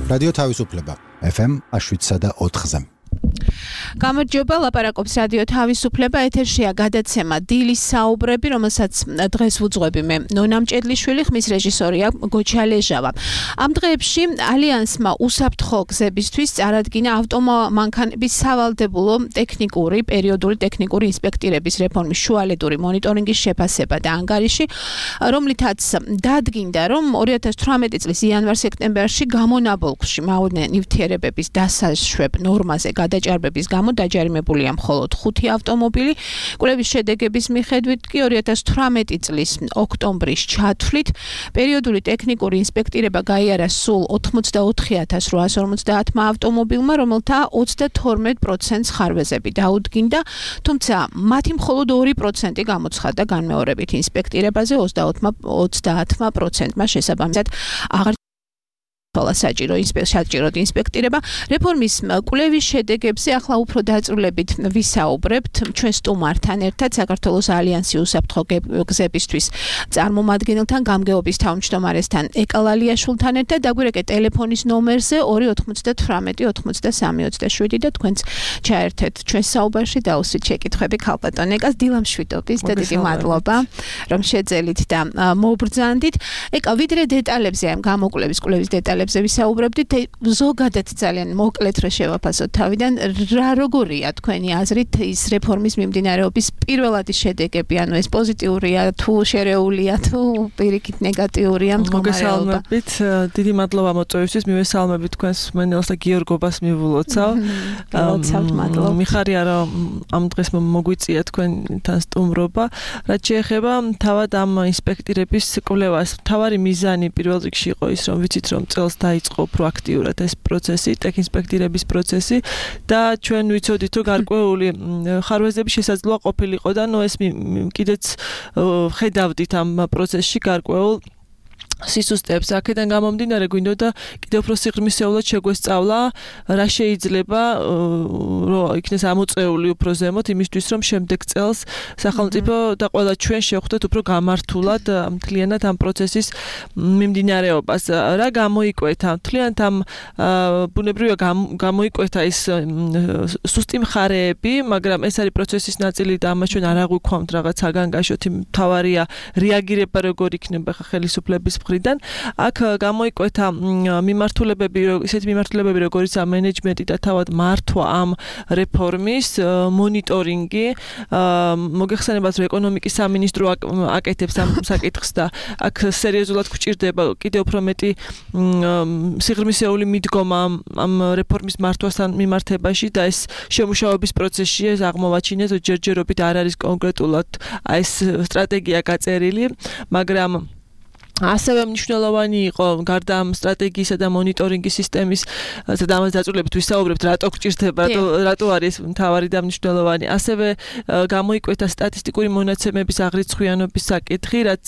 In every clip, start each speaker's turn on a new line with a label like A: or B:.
A: რადიო თავისუფლება FM 7.4-ზე.
B: გამარჯობა, ლაპარაკობს რადიო თავისუფლება, ეთერშია გადაცემა დილის საუბრები, რომელსაც დღეს ვუძღვები მე ნონა მჭედლიშვილი, ხმის რეჟისორია გოჩა ლეჟავა. ამ დღეებში ალიანსმა უსაფრთხო გზებისთვის წარადგინა ავტომანქანების სავალდებულო ტექნიკური, პერიოდული ტექნიკური ინსპექტირების რეფორმის შუალედური მონიტორინგის შეფასება და ანგარიში, რომლითაც დადგინდა, რომ 2018 წლის იანვარ-სექტემბერში გამონაბოლქვში მავნე ნივთიერებების დასაშვებ ნორმაზე გადაჭარბების გამო დაჯარიმებულია მხოლოდ 5 ავტომობილი. კვლევის შედეგების მიხედვით კი 2018 წლის ოქტომბრის ჩათვლით პერიოდული ტექნიკური ინსპექტირება გაიარა სულ 84,850 ავტომობილმა, რომელთა 32% ხარვეზები დაუდგინდა, თუმცა მათი მხოლოდ 2% გამოცხადდა განმეორებით ინსპექტირებაზე, 30%-მა შესაბამისად აღარ საჭირო ინსპექტირება. რეფორმის კვლევის შედეგებზე ახლა უფრო დაწვრილებით ვისაუბრებთ ჩვენ სტუმართან ერთად, საქართველოს ალიანსი უსაფრთხო გზებისთვის წარმომადგენელთან, გამგეობის თავმჯდომარესთან ეკალალიაშვილთან ერთად. დაგვირეკეთ ტელეფონის ნომერზე 298-93-27 და თქვენც ჩაერთეთ ჩვენ საუბარში და უსვით შეკითხვები ქალბატონ ეკას. დილამშვიდობის და დიდი მადლობა, რომ შეძელით და მობრძანდით. ეკა, ვიდრე დეტალებზე ამ გამოკვლევის კვლევის დეტალებზე ვისაუბრებდით, ზოგადად ძალიან მოკლედ რა შევაფასოთ თავიდან, რა როგორია თქვენი აზრით ის რეფორმის მიმდინარეობის პირველადი შედეგები, ანუ ეს პოზიტიურია თუ შერეულია თუ პირიქით ნეგატიურია მდგომარეობა?
C: მოგესალმებით, დიდი მადლობა მოწვევისთვის, მივესალმებით თქვენს მენელს და გიორგობას მივულოცავ. მიხარია რომ ამ დღეს მოგვიწია თქვენთან სტუმრობა. რაც შეეხება თავად ამ ინსპექტირების კვლევას, მთავარი მიზანი პირველ რიგში იყო ის, რომ ვიცით რომ წელს დაიწყო პროაქტიურად ეს პროცესი, ტექინსპექტირების პროცესი და ჩვენ ვიცოდით რომ გარკვეული ხარვეზები შესაძლოა ყოფილიყო და ეს კიდეც ხედავდით ამ პროცესში გარკვეულ სისუსტეებს. აქედან გამომდინარე გვინდოდა კიდევ უფრო სიღრმისეულად შეგვესწავლა რა შეიძლება რომ იქნეს ამოწეული უფრო ზემოთ იმისთვის რომ შემდეგ წელს სახელმწიფო და ყველა ჩვენ შევხვდეთ უფრო გამართულად მთლიანად ამ პროცესის მიმდინარეობას. რა გამოიკვეთა? მთლიანად ამ ბუნებრივია გამოიკვეთა ის სუსტი მხარეები, მაგრამ ეს არის პროცესის ნაწილი და ამას ჩვენ არ აღვიქვამთ რაღაც საგანგაშოთ. მთავარია რეაგირება როგორ იქნება ხელისუფლების მხრიდან. აქ გამოიკვეთა ისეთი მიმართულებები, როგორიცაა მენეჯმენტი და თავად მართვა ამ რეფორმის, მონიტორინგი. მოგეხსენებათ, რომ ეკონომიკის სამინისტრო აკეთებს ამ საკითხს და აქ სერიოზულად გვჭირდება კიდევ უფრო მეტი სიღრმისეული მიდგომა ამ რეფორმის მართვასთან მიმართებაში და ეს შემუშავების პროცესში ეს აღმოვაჩინეს, რომ ჯერჯერობით არ არის კონკრეტულად ეს სტრატეგია გაწერილი, მაგრამ ასევე მნიშვნელოვანი იყო გარდა ამ სტრატეგიისა და მონიტორინგის სისტემის და ამას დაწვრილებით ვისაუბრებთ, რატო გვჭირდება, რატო არის მთავარი და მნიშვნელოვანი. ასევე გამოიკვეთა სტატისტიკური მონაცემების აღრიცხვიანობის საკითხი, რაც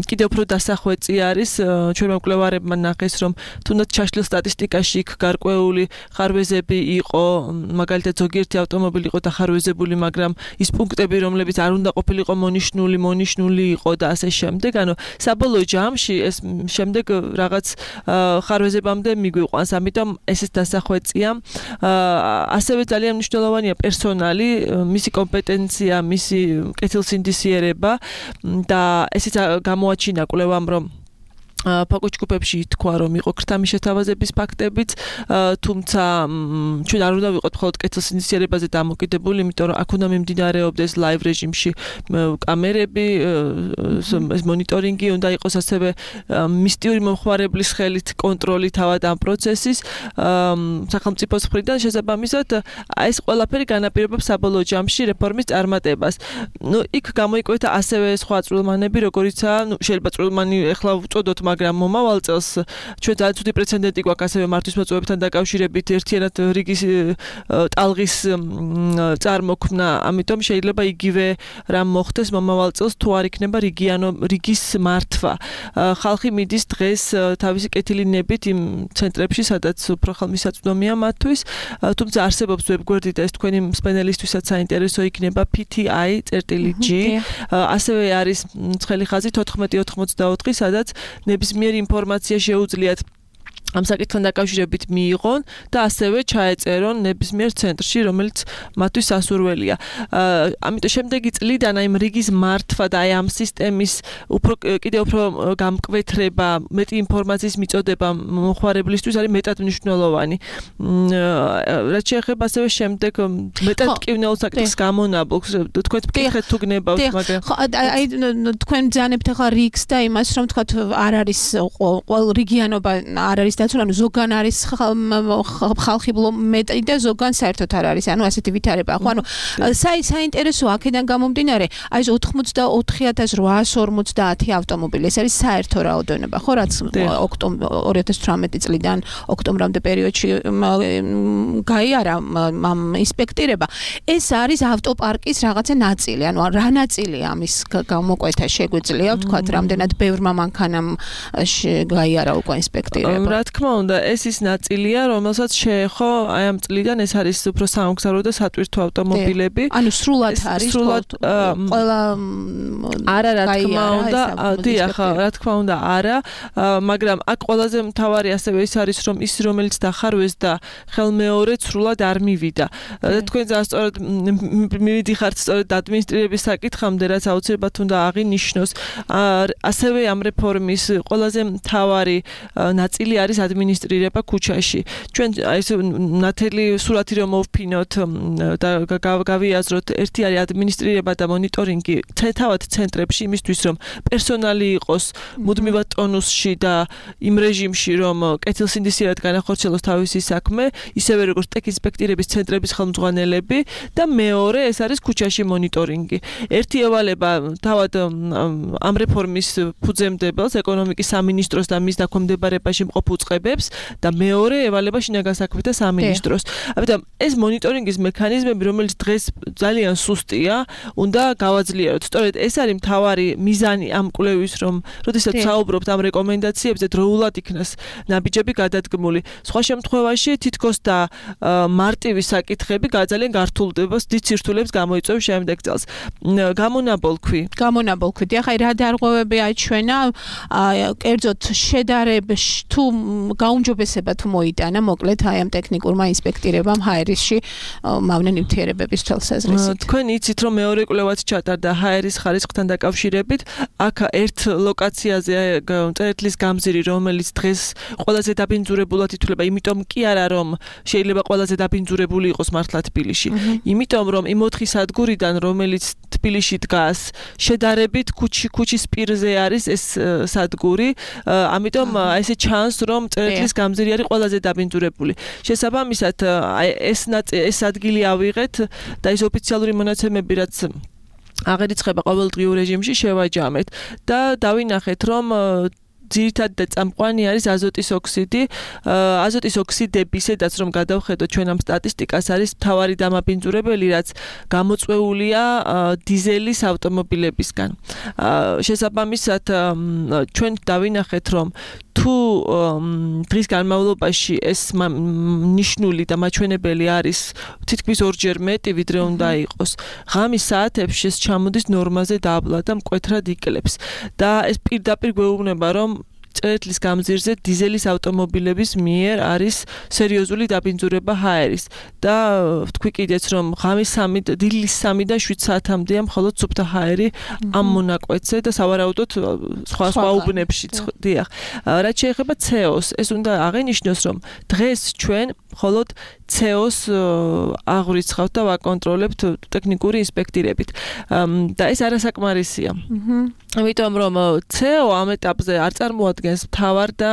C: კიდევ უფრო დასახვეწი არის. ჩვენმა მკვლევარებმა ნახეს, რომ თუნდაც ჩაშლილ სტატისტიკაში იქ გარკვეული ხარვეზები იყო, მაგალითად ზოგიერთი ავტომობილი იყო დახარვეზებული, მაგრამ ის პუნქტები, რომლებიც არ უნდა ყოფილიყო მონიშნული იყო და ასე შემდეგ. ანუ საბოლოო ჯამში ეს შემდეგ რაღაც ხარვეზებამდე მიგვიყვანს, ამიტომ ეს დასახვეწია. ასევე ძალიან მნიშვნელოვანია პერსონალი, მისი კომპეტენცია, მისი კეთილსინდისიერება და ესეც გამოაჩინა კვლევამ, რომ ფოკუს-ჯგუფებში ითქვა, რომ იყო ქრთამის შეთავაზების ფაქტებიც, თუმცა ჩვენ არ უნდა ვიყოთ მხოლოდ კეთილსინდისიერებაზე დამოკიდებული, იმიტომ რომ აქ უნდა მიმდინარეობდეს ლაივ რეჟიმში კამერები, ეს მონიტორინგი უნდა იყოს ასევე მისტიური მომხმარებლის ხელით კონტროლი თავად ამ პროცესის სახელმწიფოს მხრიდან. შესაბამისად, ეს ყველაფერი განაპირობებს საბოლოო ჯამში რეფორმის წარმატებას. იქ გამოიკვეთა ასევე სხვა წვრილმანები, როგორიცაა, შეიძლება წვრილმანი ეხლა ვწოდოთ, მაგრამ მომავალ წელს ჩვენ ძალიან ცუდი პრეცედენტი გვაქვს ასევე მართვის მოწვევებთან დაკავშირებით ერთიანად რიგის ტალღის წარმოქმნა, ამიტომ შეიძლება იგივე რამ მოხდეს მომავალ წელს თუ არ იქნება რიგის მართვა. ხალხი მიდის დღეს თავისი კეთილინებით იმ ცენტრებში, სადაც უფრო ხელმისაწვდომია მათთვის, თუმცა არსებობს ვებგვერდი და ეს თქვენი მსმენელისთვისაც საინტერესო იქნება PTI.G. ასევე არის ცხელი ხაზი 1484, სადაც ნებისმიერი ინფორმაცია შეუძლიათ ამ საკითხთან დაკავშირებით მიიღონ და ასევე ჩაეწერონ ნებისმიერ ცენტრში, რომელიც მათთვის სასურველია. ამიტომ შემდეგი წლიდან აი რიგის მართვა და აი ამ სისტემის კიდევ უფრო გამკვეთრება, მეტი ინფორმაციის მიწოდება მომხმარებლისთვის არის მეტად მნიშვნელოვანი. რაც შეეხება ასევე შემდეგ მეტად მტკივნეულ საკითხს გამონაბოლქს, თქვენ მკითხეთ თუ გნებავთ, მაგრამ
B: აი თქვენ ბრძანებთ ახლა რიგს და იმას, რომ თქვათ არ არის ყოველ რეგიონობა არ არის დაცული, ანუ ზოგან არის ხალხი მეტი და ზოგან საერთოდ არ არის, ანუ ასეთი ვითარება. ხო, ანუ საინტერესო აქედან გამომდინარე, აი ეს 84850 ავტომობილი, ეს არის საერთო რაოდენობა, ხო, რაც 2018 წლიდან ოქტომბრამდე პერიოდში გაიარა ამ ინსპექტირება. ეს არის ავტოპარკის რაღაცა ნაწილი, ანუ რა ნაწილი ამის გამოკვეთა შეგვიძლია, ვთქვათ, რამდენად ბევრმა მანქანამ გაიარა უკვე ინსპექტირება.
C: რა თქმა უნდა, ეს ის ნაწილია, რომელსაც შეეხო აი ამ წლიდან ეს არის უფრო სამგზავრო და სატვირთო ავტომობილები.
B: ანუ სრულად არის ყველა
C: არა, რა თქმა უნდა, დიახ, რა თქმა უნდა, არა, მაგრამ აქ ყველაზე მთავარი ასევე ის არის, რომ ის რომელიც დახარვეს და ხელმეორედ სრულად არ მივიდა. თქვენ ძალიან სწორად მივიდიხართ სწორედ ადმინისტრირების საკითხამდე, რაც აუცილებლად უნდა აღინიშნოს. ასევე ამ რეფორმის ყველაზე მთავარი ნაწილი არის ადმინისტრირება ქუჩაში. ჩვენ აი ეს ნათელი სურათი რომ მოვფინოთ და გავიაზროთ, ერთი არის ადმინისტრირება და მონიტორინგი თავად ცენტრებში იმისთვის, რომ პერსონალი იყოს მუდმივად ტონუსში და იმ რეჟიმში, რომ კეთილსინდისიერად განახორციელოს თავისი საქმე, ისევე როგორც ტექინსპექტირების ცენტრების ხელმძღვანელები და მეორე ეს არის ქუჩაში მონიტორინგი. ერთი ევალება თავად ამ რეფორმის ფუძემდებელს, ეკონომიკის სამინისტროს და მის დაქვემდებარებაში მყოფ უწყებებს და მეორე ევალება შინაგან საქმეთა სამინისტროს. ამიტომ ეს მონიტორინგის მექანიზმები, რომელიც დღეს ძალიან სუსტია, უნდა გავაძლიეროთ. სწორედ ეს არის მთავარი მიზანი ამ კვლევის, რომ როდესაც საუბრობთ ამ რეკომენდაციებზე, დროულად იქნას ნაბიჯები გადადგმული. სხვა შემთხვევაში თითქოს და მარტივი საკითხები ძალიან გართულებას დიცირთულებს გამოიწვევს შემდეგ წელს. გამონაბოლქვი.
B: ახლა რა დარღვევები აჩვენა, კერძოდ შედარების თუ გაუმჯობესება თუ მოიტანა, მოკლედ აი ამ ტექნიკურმა ინსპექტირებამ ჰაერისში მავნე ნივთიერებების თვალსაზრისით.
C: თქვენ იცით, რომ მეორე კვლევაც ჩატარდა ჰაერის ხარისხთან დაკავშირებით, აქ ერთ ლოკაციაზე წერეთლის გამზირი, რომელიც დღეს ყველაზე დაბინძურებულად ითვლება, იმიტომ კი არა, რომ შეიძლება ყველაზე დაბინძურებული იყოს მართლა თბილისში. იმიტომ რომ იმ 4 სადგურიდან, რომელიც თბილისში დგას, შედარებით ქუჩის პირზე არის ეს სადგური, ამიტომ ესე ჩანს, რომ წერეთლის გამზირი არის ყველაზე დაბინძურებული. შესაბამისად, ეს ადგილი ავიღეთ და ეს ოფიციალური მონაცემები, რაც აღერიცხება ყოველდღიურ რეჟიმში, შევაჯამეთ და დავინახეთ, რომ ძირითადად და წამყვანი არის აზოტის ოქსიდი. აზოტის ოქსიდები, სადაც რომ გადავხედოთ ჩვენ ამ სტატისტიკას, არის მთავარი დამაბინძურებელი, რაც გამოწვეულია დიზელის ავტომობილებისგან. შესაბამისად, ჩვენ დავინახეთ, რომ თუ დღის განმავლობაში ეს ნიშნული და მაჩვენებელი არის თითქმის 2-ჯერ მეტი, ვიდრე უნდა იყოს, ღამის საათებში ეს ჩამოდის ნორმაზე დაბლა და მკვეთრად იკლებს. და ეს პირდაპირ გვეუბნება, რომ წერეთლის გამზირზე დიზელის ავტომობილების მიერ არის სერიოზული დაბინძურება ჰაერის და თქვი კიდეც, რომ ღამის 3-დან 7 საათამდეა მხოლოდ სუფთა ჰაერი ამ მონაკვეთზე და სავარაუდოდ სხვა უბნებშიც. დიახ. რაც შეეხება CO-ს, ეს უნდა აღინიშნოს, რომ დღეს ჩვენ მხოლოდ CO-ს აღვრიცხავთ და ვაკონტროლებთ ტექნიკური ინსპექტირებით. და ეს არასაკმარისია. ამიტომ რომ CO ამ ეტაპზე არ წარმოადგენს მთავარ და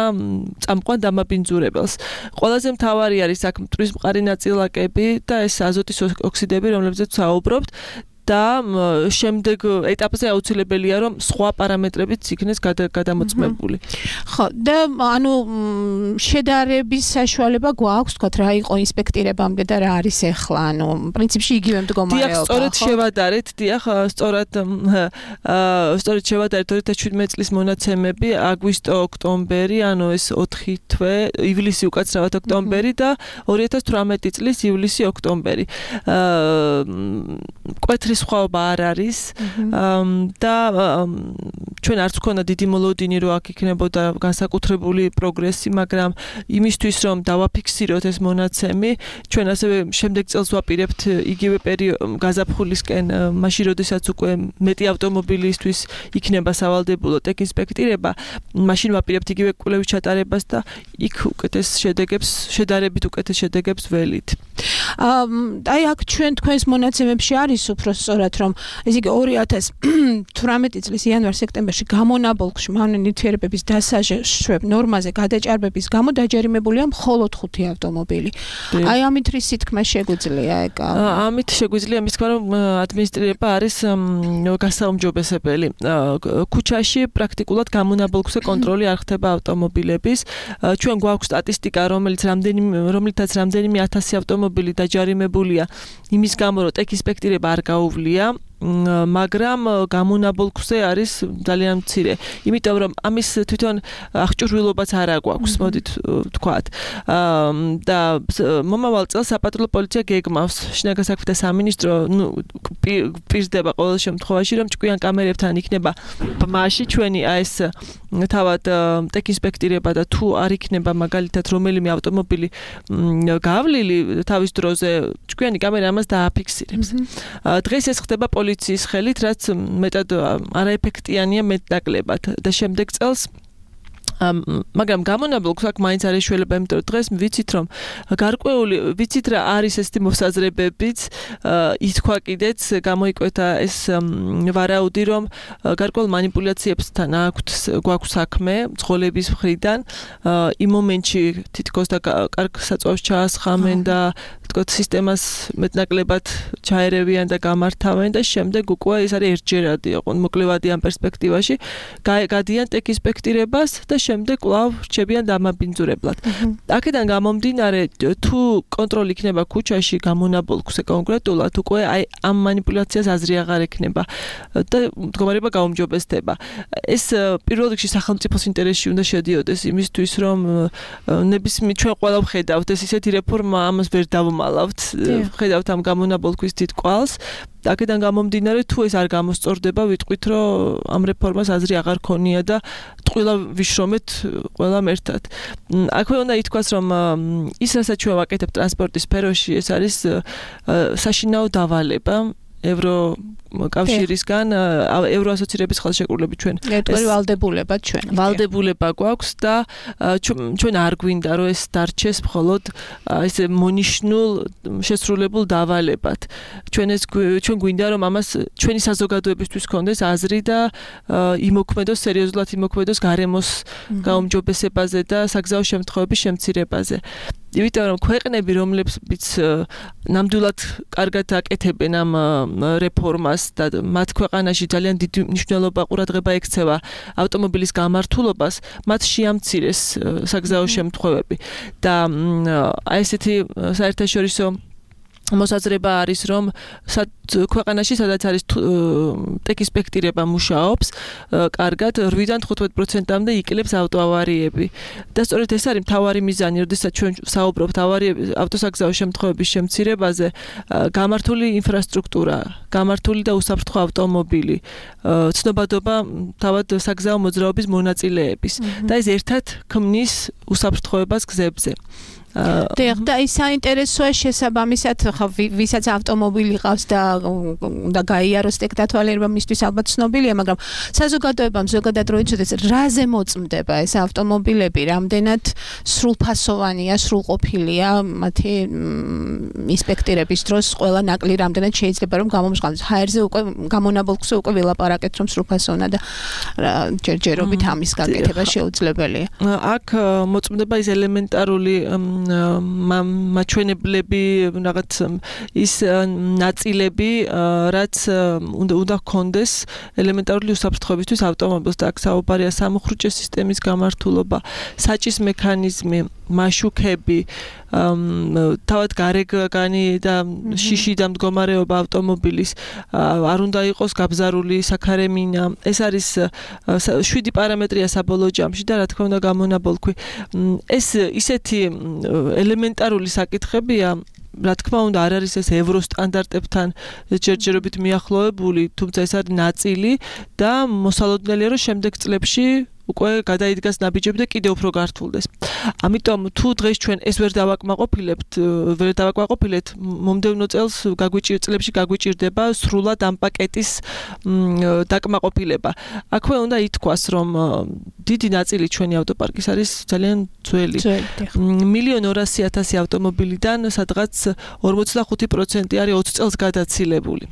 C: წამყვან დამაბინძურებელს. ყველაზე მთავარი არის აქ მტვრის მყარი ნაწილაკები და ეს აზოტის ოქსიდები, რომლებზეც საუბრობთ. და შემდეგ ეტაპზე აუცილებელია რომ სხვა პარამეტრებიც იქნეს გადამოწმებული.
B: ხო, და ანუ შედარების საშუალება გვაქვს, თქვათ, რა იყო ინსპექტირებამდე და რა არის ახლა, ანუ პრინციპში იგივე მდგომარეობა.
C: დიახ, სწორედ შევადარეთ, სწორედ შევადარეთ 2017 წლის მონაცემები, აგვისტო-ოქტომბერი, ანუ ეს 4 თვე, ივლისი უკაცრავად ოქტომბერი და 2018 წლის ივლისი-ოქტომბერი. კვეთრი სხვაობა არ არის და ჩვენ არც გვქონდა დიდი მოლოდინი რომ აქ იქნებოდა განსაკუთრებული პროგრესი, მაგრამ იმისთვის რომ დავაფიქსიროთ ეს მონაცემი, ჩვენ ასევე შემდეგ წელს ვაპირებთ იგივე გაზაფხულისკენ, მაშინ როდესაც უკვე მეტი ავტომობილისთვის იქნება სავალდებულო ტექინსპექტირება, მაშინ ვაპირებთ იგივე კვლევის ჩატარებას და იქ უკეთეს შედარებით უკეთეს შედეგებს ველით.
B: აი აქ ჩვენ თქვენს მონაცემებში არის უფრო სწორად რომ ესე იგი 2018 წლის იანვარ-სექტემბერში გამონაბოლქვში მავნე ნივთიერებების დასაშვებ ნორმაზე გადაჭარბების გამო დაჯერიმებულია მხოლოდ 5 ავტომობილი. აი ამით რის თქმა შეგვიძლია ეგ?
C: ამით შეგვიძლია მის თქმა რომ ადმინისტრირება არის გასაუმჯობესებელი. ქუჩაში პრაქტიკულად გამონაბოლქვზე კონტროლი არ ხდება ავტომობილების. ჩვენ გვაქვს სტატისტიკა, რომლითაც რამდენიმე 1000 ავტომობილი დაჯარიმებულია იმის გამო, რომ ტექინსპექტირება არ გაუვლია, მაგრამ გამონაბოლქვზე არის ძალიან მცირე. იმიტომ რომ ამის თვითონ აღჭურვილობაც არ აგვაქვს, მოდით ვთქვათ. და მომავალ წელს საპატრულო პოლიცია გეგმავს, შინაგან საქმეთა სამინისტრო პირდება ყოველ შემთხვევაში, რომ ჭკვიან კამერებთან იქნება ბმაში ჩვენი ეს თავად ტექინსპექტირება და თუ არ იქნება მაგალითად რომელიმე ავტომობილი გავლილი თავის დროზე, ჭკვიანი კამერა ამას დააფიქსირებს. დღეს ეს ხდება პოლიციის ხელით, რაც მეტად არაეფექტიანია მეტნაკლებად და შემდეგ წელს მაგრამ გამონაბოლქვს აქ მაინც არის შველება, იმიტომ რომ დღეს ვიცით რომ გარკვეული ვიცით რა არის ეს მოსაზრებებიც, ითქვა კიდეც გამოიკვეთა ეს ვარაუდი რომ გარკვეულ манипуляციებსთან გვაქვს საქმე მძღოლების მხრიდან, იმ მომენტში თითქოს და კარგ საწვავს ჩაასხამენ და თქოთ სისტემას მეტნაკლებად ჩაერევიან და გამართავენ და შემდეგ უკვე ეს არის ერთჯერადი, მოკლევადი ამ პერსპექტივაში გადიან ტექინსპექტირებას და შემდეგ კვლავ რჩებიან დამაბინძურებლად. აქედან გამომდინარე, თუ კონტროლი იქნება ქუჩაში გამონაბოლქვზე კონკრეტულად, უკვე აი ამ манипуляციას აზრი აღარ ექნება და მდგომარეობა გაუმჯობესდება. ეს პირველ რიგში სახელმწიფოს ინტერესში უნდა შედიოდეს იმისთვის, რომ ჩვენ ყველა ვხედავთ ეს ისეთი რეფორმა, ამას ვერ დავმალავთ, ვხედავთ ამ გამონაბოლქვის დიდ კვალს. აქედან გამომდინარე, თუ ეს არ გამოსწორდება, ვიტყვით, რომ ამ რეფორმას აზრი აღარ ქონია და ტყუილა ვიშრომეთ ყველამ ერთად. აქვე უნდა ითქვას, რომ ის რასაც ჩვენ ვაკეთებთ ტრანსპორტის სფეროში, ეს არის საშინაო დავალება ევროკავშირისგან, ევროასოცირების ხელშეკრულებით ჩვენ ვალდებულება გვაქვს და ჩვენ არ გვინდა რომ ეს დარჩეს მხოლოდ ესე მონიშნულ შესრულებულ დავალებად. ჩვენ გვინდა რომ ამას ჩვენი საზოგადოებისთვის ქონდეს აზრი და სერიოზულად იმოქმედოს გარემოს გაუმჯობესებაზე და საგზაო შემთხვევების შემცირებაზე. იმიტომ რომ ქვეყნები, რომლებიც ნამდვილად კარგად აკეთებენ ამ რეფორმას და მათ ქვეყანაში ძალიან დიდი მნიშვნელობა ყურადღება ექცევა ავტომობილის გამართულობას, მათ შეამცირეს საგზაო შემთხვევები და აი ესეთი საერთაშორისო მოსაზრება არის, რომ ქვეყანაში სადაც არის ტექინსპექტირება მუშაობს, კარგად 8-დან 15%-მდე იკლებს ავტოავარიები. და სწორედ ეს არის მთავარი მიზანი, როდესაც ჩვენ საუბრობთ ავტოსაგზაო შემთხვევების შემცირებაზე, გამართული ინფრასტრუქტურა, გამართული და უსაფრთხო ავტომობილი, ცნობადობა თავად საგზაო მოძრაობის მონაწილეების და ეს ერთად ქმნის უსაფრთხოებას გზებზე.
B: და ის საინტერესოა შესაბამისად, ვისაც ავტომობილი ყავს და გაიაროს ტექდათვალიერება მისთვის ალბათ ცნობილია, მაგრამ საზოგადოებამ ზოგადად რო იცოდეს, რაზე მოწმდება ეს ავტომობილები, რამდენად სრულფასოვანია, სრულყოფილია მათი ინსპექტირების დროს, ყველა ნაკლი რამდენად შეიძლება რომ გამომჟღავნოს. ჰაერზე უკვე გამონაბოლქვზე უკვე ვილაპარაკეთ, რომ სრულფასოვანად და ჯერჯერობით ამის გაკეთება შეუძლებელია.
C: აქ მოწმდება ის ელემენტარული მაჩვენებლები, რაღაც ის ნაწილები, რაც უნდა გქონდეს ელემენტარული უსაფრთხოებისთვის ავტომობილს და აქ საუბარია სამუხრუჭე სისტემის გამართულობა, საჭის მექანიზმი, მაშუქები, თავად გარეგანი და შიში და მდგომარეობა ავტომობილის არ უნდა იყოს გაბზარული საქარემინა. ეს არის 7 პარამეტრია საბოლოო ჯამში და რა თქმა უნდა გამონაბოლქვი. ეს ისეთი ელემენტარული საკითხებია, რა თქმა უნდა არ არის ეს ევრო სტანდარტებთან ჯერჯერობით მიახლოებული, თუმცა ეს არის ნაწილი და მოსალოდნელია რომ შემდეგ წლებში უკვე გადაიდგას ნაბიჯები და კიდევ უფრო გართულდეს. ამიტომ თუ დღეს ჩვენ ეს ვერ დავაკმაყოფილეთ, მომდევნო წელს წლებში გაგვიჭირდება სრულად ამ პაკეტის დაკმაყოფილება. აქვე უნდა ითქვას, რომ დიდი ნაწილი ჩვენი ავტოპარკის არის ძალიან ძველი. 1,200,000 ავტომობილიდან სადღაც 45% არის 20 წელს გადაცილებული.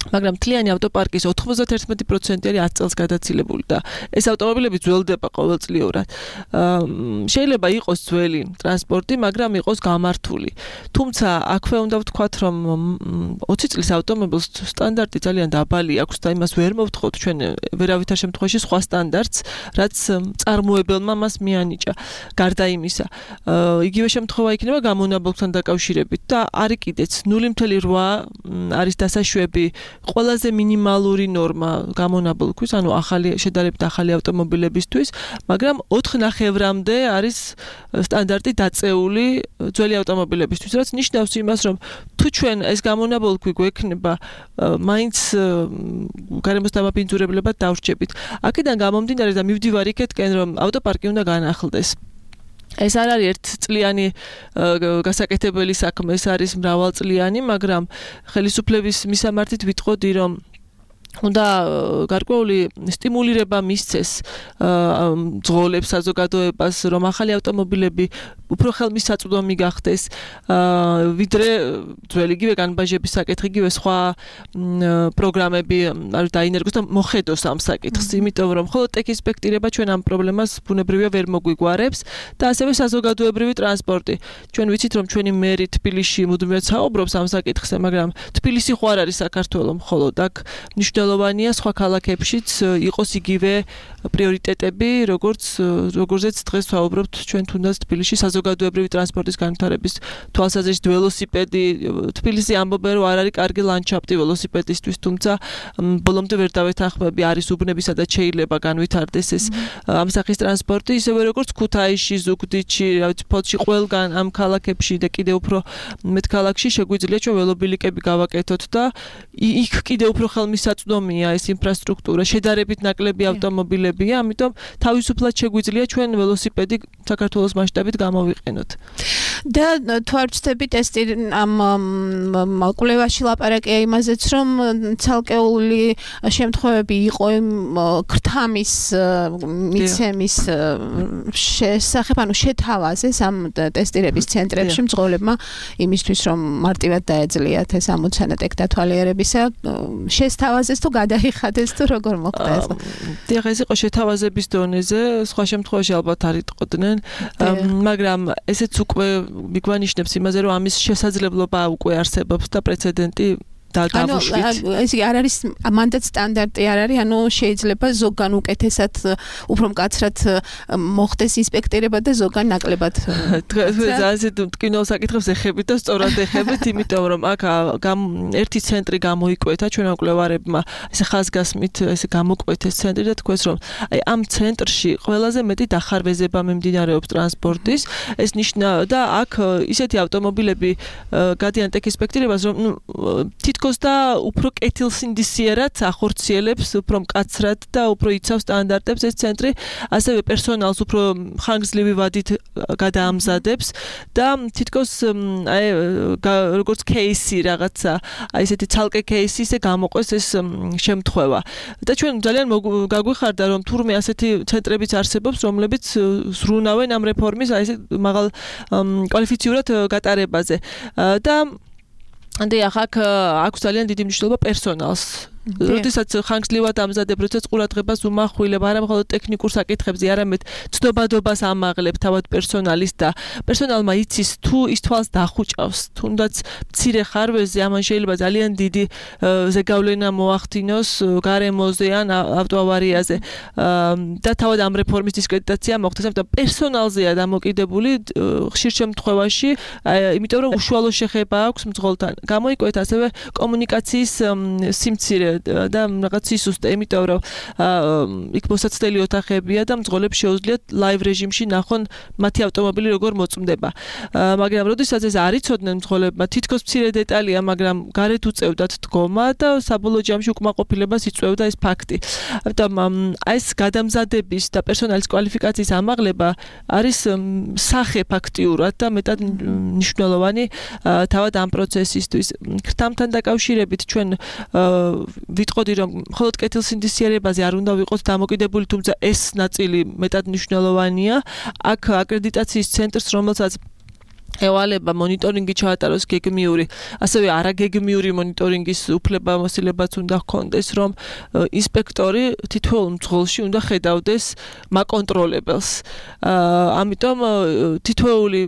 C: მაგრამ მთლიანი ავტოპარკის 91% არის 10 წელს გადაცილებული და ეს ავტომობილები ძველდება ყოველწლიურად. შეიძლება იყოს ძველი ტრანსპორტი, მაგრამ იყოს გამართული. თუმცა აქვე უნდა ვთქვათ, რომ 20 წლის ავტომობილს სტანდარტი ძალიან დაბალი აქვს და იმას ვერ მოვთხოვთ ჩვენ ვერავითარ შემთხვევაში სხვა სტანდარტს, რაც წარმოებელმა მას მიანიჭა. გარდა იმისა, იგივე შემთხვევა იქნება გამონაბოლქვთან დაკავშირებით და არის კიდეც 0.8 არის დასაშვები ყველაზე მინიმალური ნორმა გამონაბოლქვის, ანუ შედარებით ახალი ავტომობილებისთვის, მაგრამ 4.5-მდე არის სტანდარტი დაწეული ძველი ავტომობილებისთვის, რაც ნიშნავს იმას, რომ თუ ჩვენ ეს გამონაბოლქვი გვექნება, მაინც გარემოს დამაბინძურებლებად დავრჩებით. აქედან გამომდინარე და მივდივარ იქეთკენ, რომ ავტოპარკი უნდა განახლდეს. ეს არ არის ერთწლიანი გასაკეთებელი საქმე, ეს არის მრავალწლიანი, მაგრამ ხელისუფლების მისამართით ვიტყოდი, რომ უნდა გარკვეული სტიმულირება მისცეს ძღოლებს, საზოგადოებას, რომ ახალი ავტომობილები უფრო ხელმისაწვდომი გახდეს, ვიდრე ძველი იგივე განბაჟების საკითხი, იგივე სხვა პროგრამები დაინერგოს და მოხედოს ამ საკითხს, იმიტომ რომ მხოლოდ ტექინსპექტირება ჩვენ ამ პრობლემას ბუნებრივია ვერ მოგვიგვარებს და ასევე საზოგადოებრივი ტრანსპორტი. ჩვენ ვიცით, რომ ჩვენი მერი თბილისში მუდმივად საუბრობს ამ საკითხზე, მაგრამ თბილისი ხო არ არის საქართველო მხოლოდ, აქ მნიშვნელოვანია სხვა ქალაქებშიც იყოს იგივე პრიორიტეტები, როგორზეც დღეს ვსაუბრობთ ჩვენ თუნდაც თბილისში საზოგადოებრივი ტრანსპორტის განვითარების თვალსაზრისით ველოსიპედი. თბილისი ამბობენ, რომ არ არის კარგი ლანდშაფტი ველოსიპედისტვის, თუმცა ბოლომდე ვერ დავეთანხმები, არის უბნები, სადაც შეიძლება განვითარდეს ეს ამ სახის ტრანსპორტი, ისევე როგორც ქუთაისში, ზუგდიდში, ფოთში, ყველგან ამ ქალაქებში და კიდევ უფრო მეტ ქალაქში შეგვიძლია ჩვენ ველობილიკები გავაკეთოთ და იქ კიდევ უფრო ხელმისაწვდომია ეს ინფრასტრუქტურა, შედარებით ნაკლები ავტომობილებია, ამიტომ თავისუფლად შეგვიძლია ჩვენ ველოსიპედი საქართველოს მასშტაბით გამოვიყენოთ.
B: და თუ არ ვცდებით ეს ამ კვლევაში ლაპარაკია იმაზეც, რომ ცალკეული შემთხვევები იყო ქრთამის მიცემის შესახებ, ანუ შეთავაზეს ამ ტესტირების ცენტრებში მძღოლებმა იმისთვის, რომ მარტივად დაეძლიათ ეს ამოცანა ტექდათვალიერებისა, შესთავაზეს თუ გადაიხადეს თუ როგორ მოხდა ეს?
C: დიახ, ეს იყო შეთავაზების დონეზე, სხვა შემთხვევაში ალბათ არ იტყოდნენ, მაგრამ ესეც უკვე მიგვანიშნებს იმაზე, რომ ამის შესაძლებლობა უკვე არსებობს და პრეცედენტი დაგავუშვით.
B: ეს არ არის მანდაც სტანდარტი არ არის, ანუ შეიძლება ზოგან უკეთესად უფრო მკაცრად მოხდეს ინსპექტირება და ზოგან ნაკლებად.
C: ასე ტკინვალ საკითხებს ეხებით და სწორად ეხებით, იმიტომ რომ აქ ერთი ცენტრი გამოიკვეთა ჩვენმა მკვლევარებმა, ესე ხაზგასმით ესე გამოკვეთეს ცენტრი და თქვეს, რომ აი ამ ცენტრში ყველაზე მეტი დახარვეზება მიმდინარეობს ტრანსპორტის, ეს ნიშნავს და აქ ისეთი ავტომობილები გადიან ტექინსპექტირებას, რომ თითქოს და უფრო კეთილსინდისიერად ახორციელებს, უფრო მკაცრად და უფრო იცავს სტანდარტებს ეს ცენტრი, ასევე პერსონალს უფრო ხანგრძლივი ვადით გადაამზადებს და თითქოს აი როგორც кейსი რაღაცა, აი ესეთი ცალკე кейსი ისე გამოყვეს ეს შემთხვევა. და ჩვენ ძალიან გაგვიხარდა, რომ თურმე ასეთი ცენტრებიც არსებობს, რომლებიც ზრუნავენ ამ რეფორმის აი ესე მაღალ კვალიფიციურად გატარებაზე. და დიახ, აქვს ძალიან დიდი მნიშვნელობა პერსონალს როდესაც ხანგრძლივად ამზადებ, როდესაც ყურადღებას უმახვილებ, არა მხოლოდ ტექნიკურ საკითხებზე, არამედ ცნობადობას ამაღლებ თავად პერსონალის და პერსონალმა იცის თუ ის თვალს დახუჭავს, თუნდაც მცირე ხარვეზე ამან შეიძლება ძალიან დიდი ზეგავლენა მოახდინოს გარემოზე ან ავტოავარიაზე და თავად ამ რეფორმის დისკრედიტაცია მოხდეს, ამიტომ პერსონალზეა დამოკიდებული ხშირ შემთხვევაში, იმიტომ რომ უშუალო შეხება აქვს მძღოლთან. გამოიკვეთ ასევე კომუნიკაციის სიმცირე და რაღაც სისუსტე, იმიტომ რომ იქ მოსაცდელი ოთახებია და მძღოლებს შეუძლიათ ლაივ რეჟიმში ნახონ მათი ავტომობილი როგორ მოწმდება. მაგრამ როდესაც ეს არ იცოდნენ მძღოლებმა, თითქოს მცირე დეტალია, მაგრამ გარეთ უწევდათ დგომა და საბოლოო ჯამში უკმაყოფილებას იწვევდა ეს ფაქტი. ამიტომ ეს გადამზადების და პერსონალის კვალიფიკაციის ამაღლება არის სახე ფაქტიურად და მეტად მნიშვნელოვანი თავად ამ პროცესისთვის. ქრთამთან დაკავშირებით ჩვენ ვიტყოდი რომ მხოლოდ კეთილსინდისიერებაზე არ უნდა ვიყოთ დამოკიდებული, თუმცა ეს ნაწილი მეტად მნიშვნელოვანია. აქ აკრედიტაციის ცენტრს, რომელსაც ევალება მონიტორინგი ჩაატაროს გეგმიური, ასევე არაგეგმიური მონიტორინგის უფლებამოსილებაც უნდა ჰქონდეს, რომ ინსპექტორი თითოეულ მძღოლში უნდა ხედავდეს მაკონტროლებელს. ამიტომ თითოეული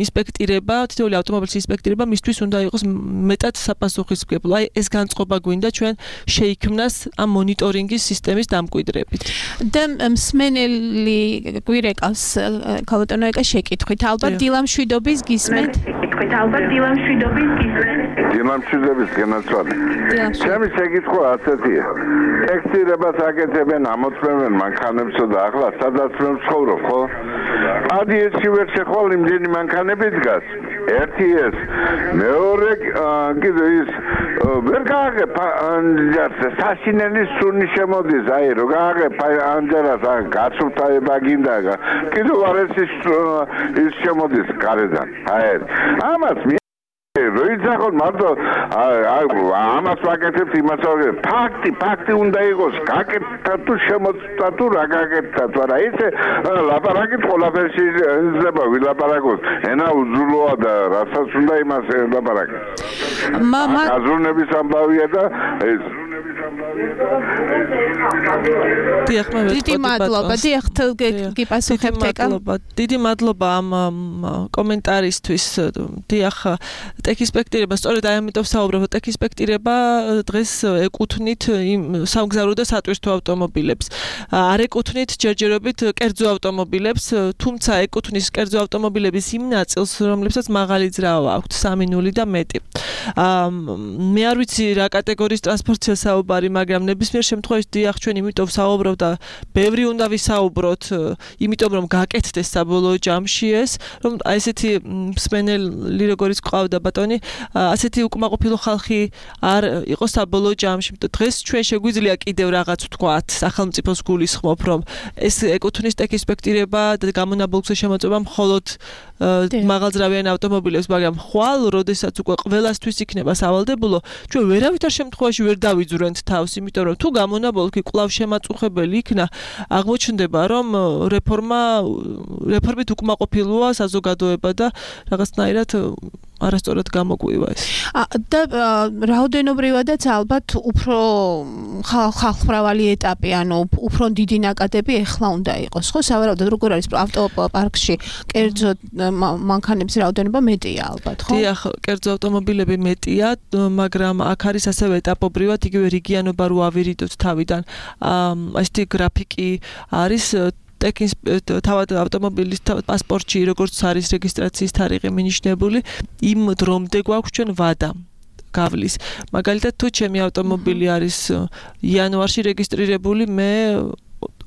C: ინსპექტირება, თითოეული ავტომობილის ინსპექტირება მისთვის უნდა იყოს მეტად საპასუხისმგებლო. აი ეს განწყობა გვინდა ჩვენ შეიქმნას ამ მონიტორინგის სისტემის დამკვიდრებით.
B: და მსმენელი გვირეკავს ქალბატონოეკა შეკითხვით, ალბათ დილამშვიდობის გისმენთ?
D: დილამშვიდობის განაცვალე. ჩემი შეკითხვა ასეთია. ტექსტირებას აკეთებენ, ამოწმებენ მანქანებსა და ახლა სადაც მე ვცხოვრობ, ხო? ადიეში ვერ შეხვალ იმდენი მანქანები დგას. ერთი ეს, მეორე კიდე ის ვერ გააღებ საშინელი სუნი შემოდის, აი რო გააღებ ანჯერას გაცურთაება გინდა. კიდე არ ის შემოდის გარედან. აი ამას როიცახოთ მარტო ამას ვაკეთებთ, იმას ვაკეთებთ. ფაქტი უნდა იყოს გაკეთდა თუ შემოწმდა თუ რა გაკეთდა, არა ისე ლაპარაკით ყველაფერში იძლება ვილაპარაკოს. ენა უძულოა და რასაც უნდა იმას ლაპარაკეთ. აზროვნების ამბავია და ეს
B: დიდი მადლობა. გიპასუხებთ ეკა.
C: დიდი მადლობა ამ კომენტარისთვის. დიახ, ტექინსპექტირება, სწორედ აი ამიტომ საუბრობ, ტექინსპექტირება დღეს ეკუთვნით იმ სამგზავრო და სატვირთო ავტომობილებს. არ ეკუთვნით ჯერჯერობით კერძო ავტომობილებს, თუმცა ეკუთვნის კერძო ავტომობილების იმ ნაწილს, რომლებსაც მაღალი ძრავა აქვთ 3.0 და მეტი. მე არ ვიცი რა კატეგორიის ტრანსპორტია საუბარი, მაგრამ ნებისმიერ შემთხვევაში დიახ, ჩვენ იმიტომ ვსაუბრობ და ბევრი უნდა ვისაუბროთ, იმიტომ რომ გაკეთდეს საბოლოო ჯამში ეს, რომ აი ესეთი მსმენელი როგორიც ყავდა ბატონი, ასეთი უკმაყოფილო ხალხი არ იყოს საბოლოო ჯამში. დღეს ჩვენ შეგვიძლია კიდევ რაღაც ვთქვათ, სახელმწიფოს გულისხმობ, რომ ეს ეკუთვნის ტექინსპექტირება და გამონაბოლქვზე შემოწმება მხოლოდ მაღალძრავიან ავტომობილებს, მაგრამ ხვალ, როდესაც უკვე ყველასთვის იქნება სავალდებულო, ჩვენ ვერავითარ შემთხვევაში ვერ დავიძვრენთ თავს, იმიტომ რომ თუ გამონაბოლქვი კვლავ შემაწუხებელი იქნა, აღმოჩნდება, რომ რეფორმით უკმაყოფილოა საზოგადოება და რაღაცნაირად არასწორად გამოგვივა ეს.
B: და რაოდენობრივადაც ალბათ უფრო ხალხმრავალი ეტაპი, ანუ უფრო დიდი ნაკადები ეხლა უნდა იყოს, ხო? სავარაუდოდ როგორ არის ავტოპარკში კერძო მანქანების რაოდენობა მეტია ალბათ, ხო?
C: დიახ, კერძო ავტომობილები მეტია, მაგრამ აქ არის ასევე ეტაპობრივად იგივე რიგიანობა რო ავირიდოთ თავიდან. ასეთი გრაფიკი არის თავად ავტომობილის პასპორტში, როგორც არის რეგისტრაციის თარიღი მინიშნებული, იმ დრომდე გვაქვს ჩვენ ვადა გავლის. მაგალითად, თუ ჩემი ავტომობილი არის იანვარში რეგისტრირებული, მე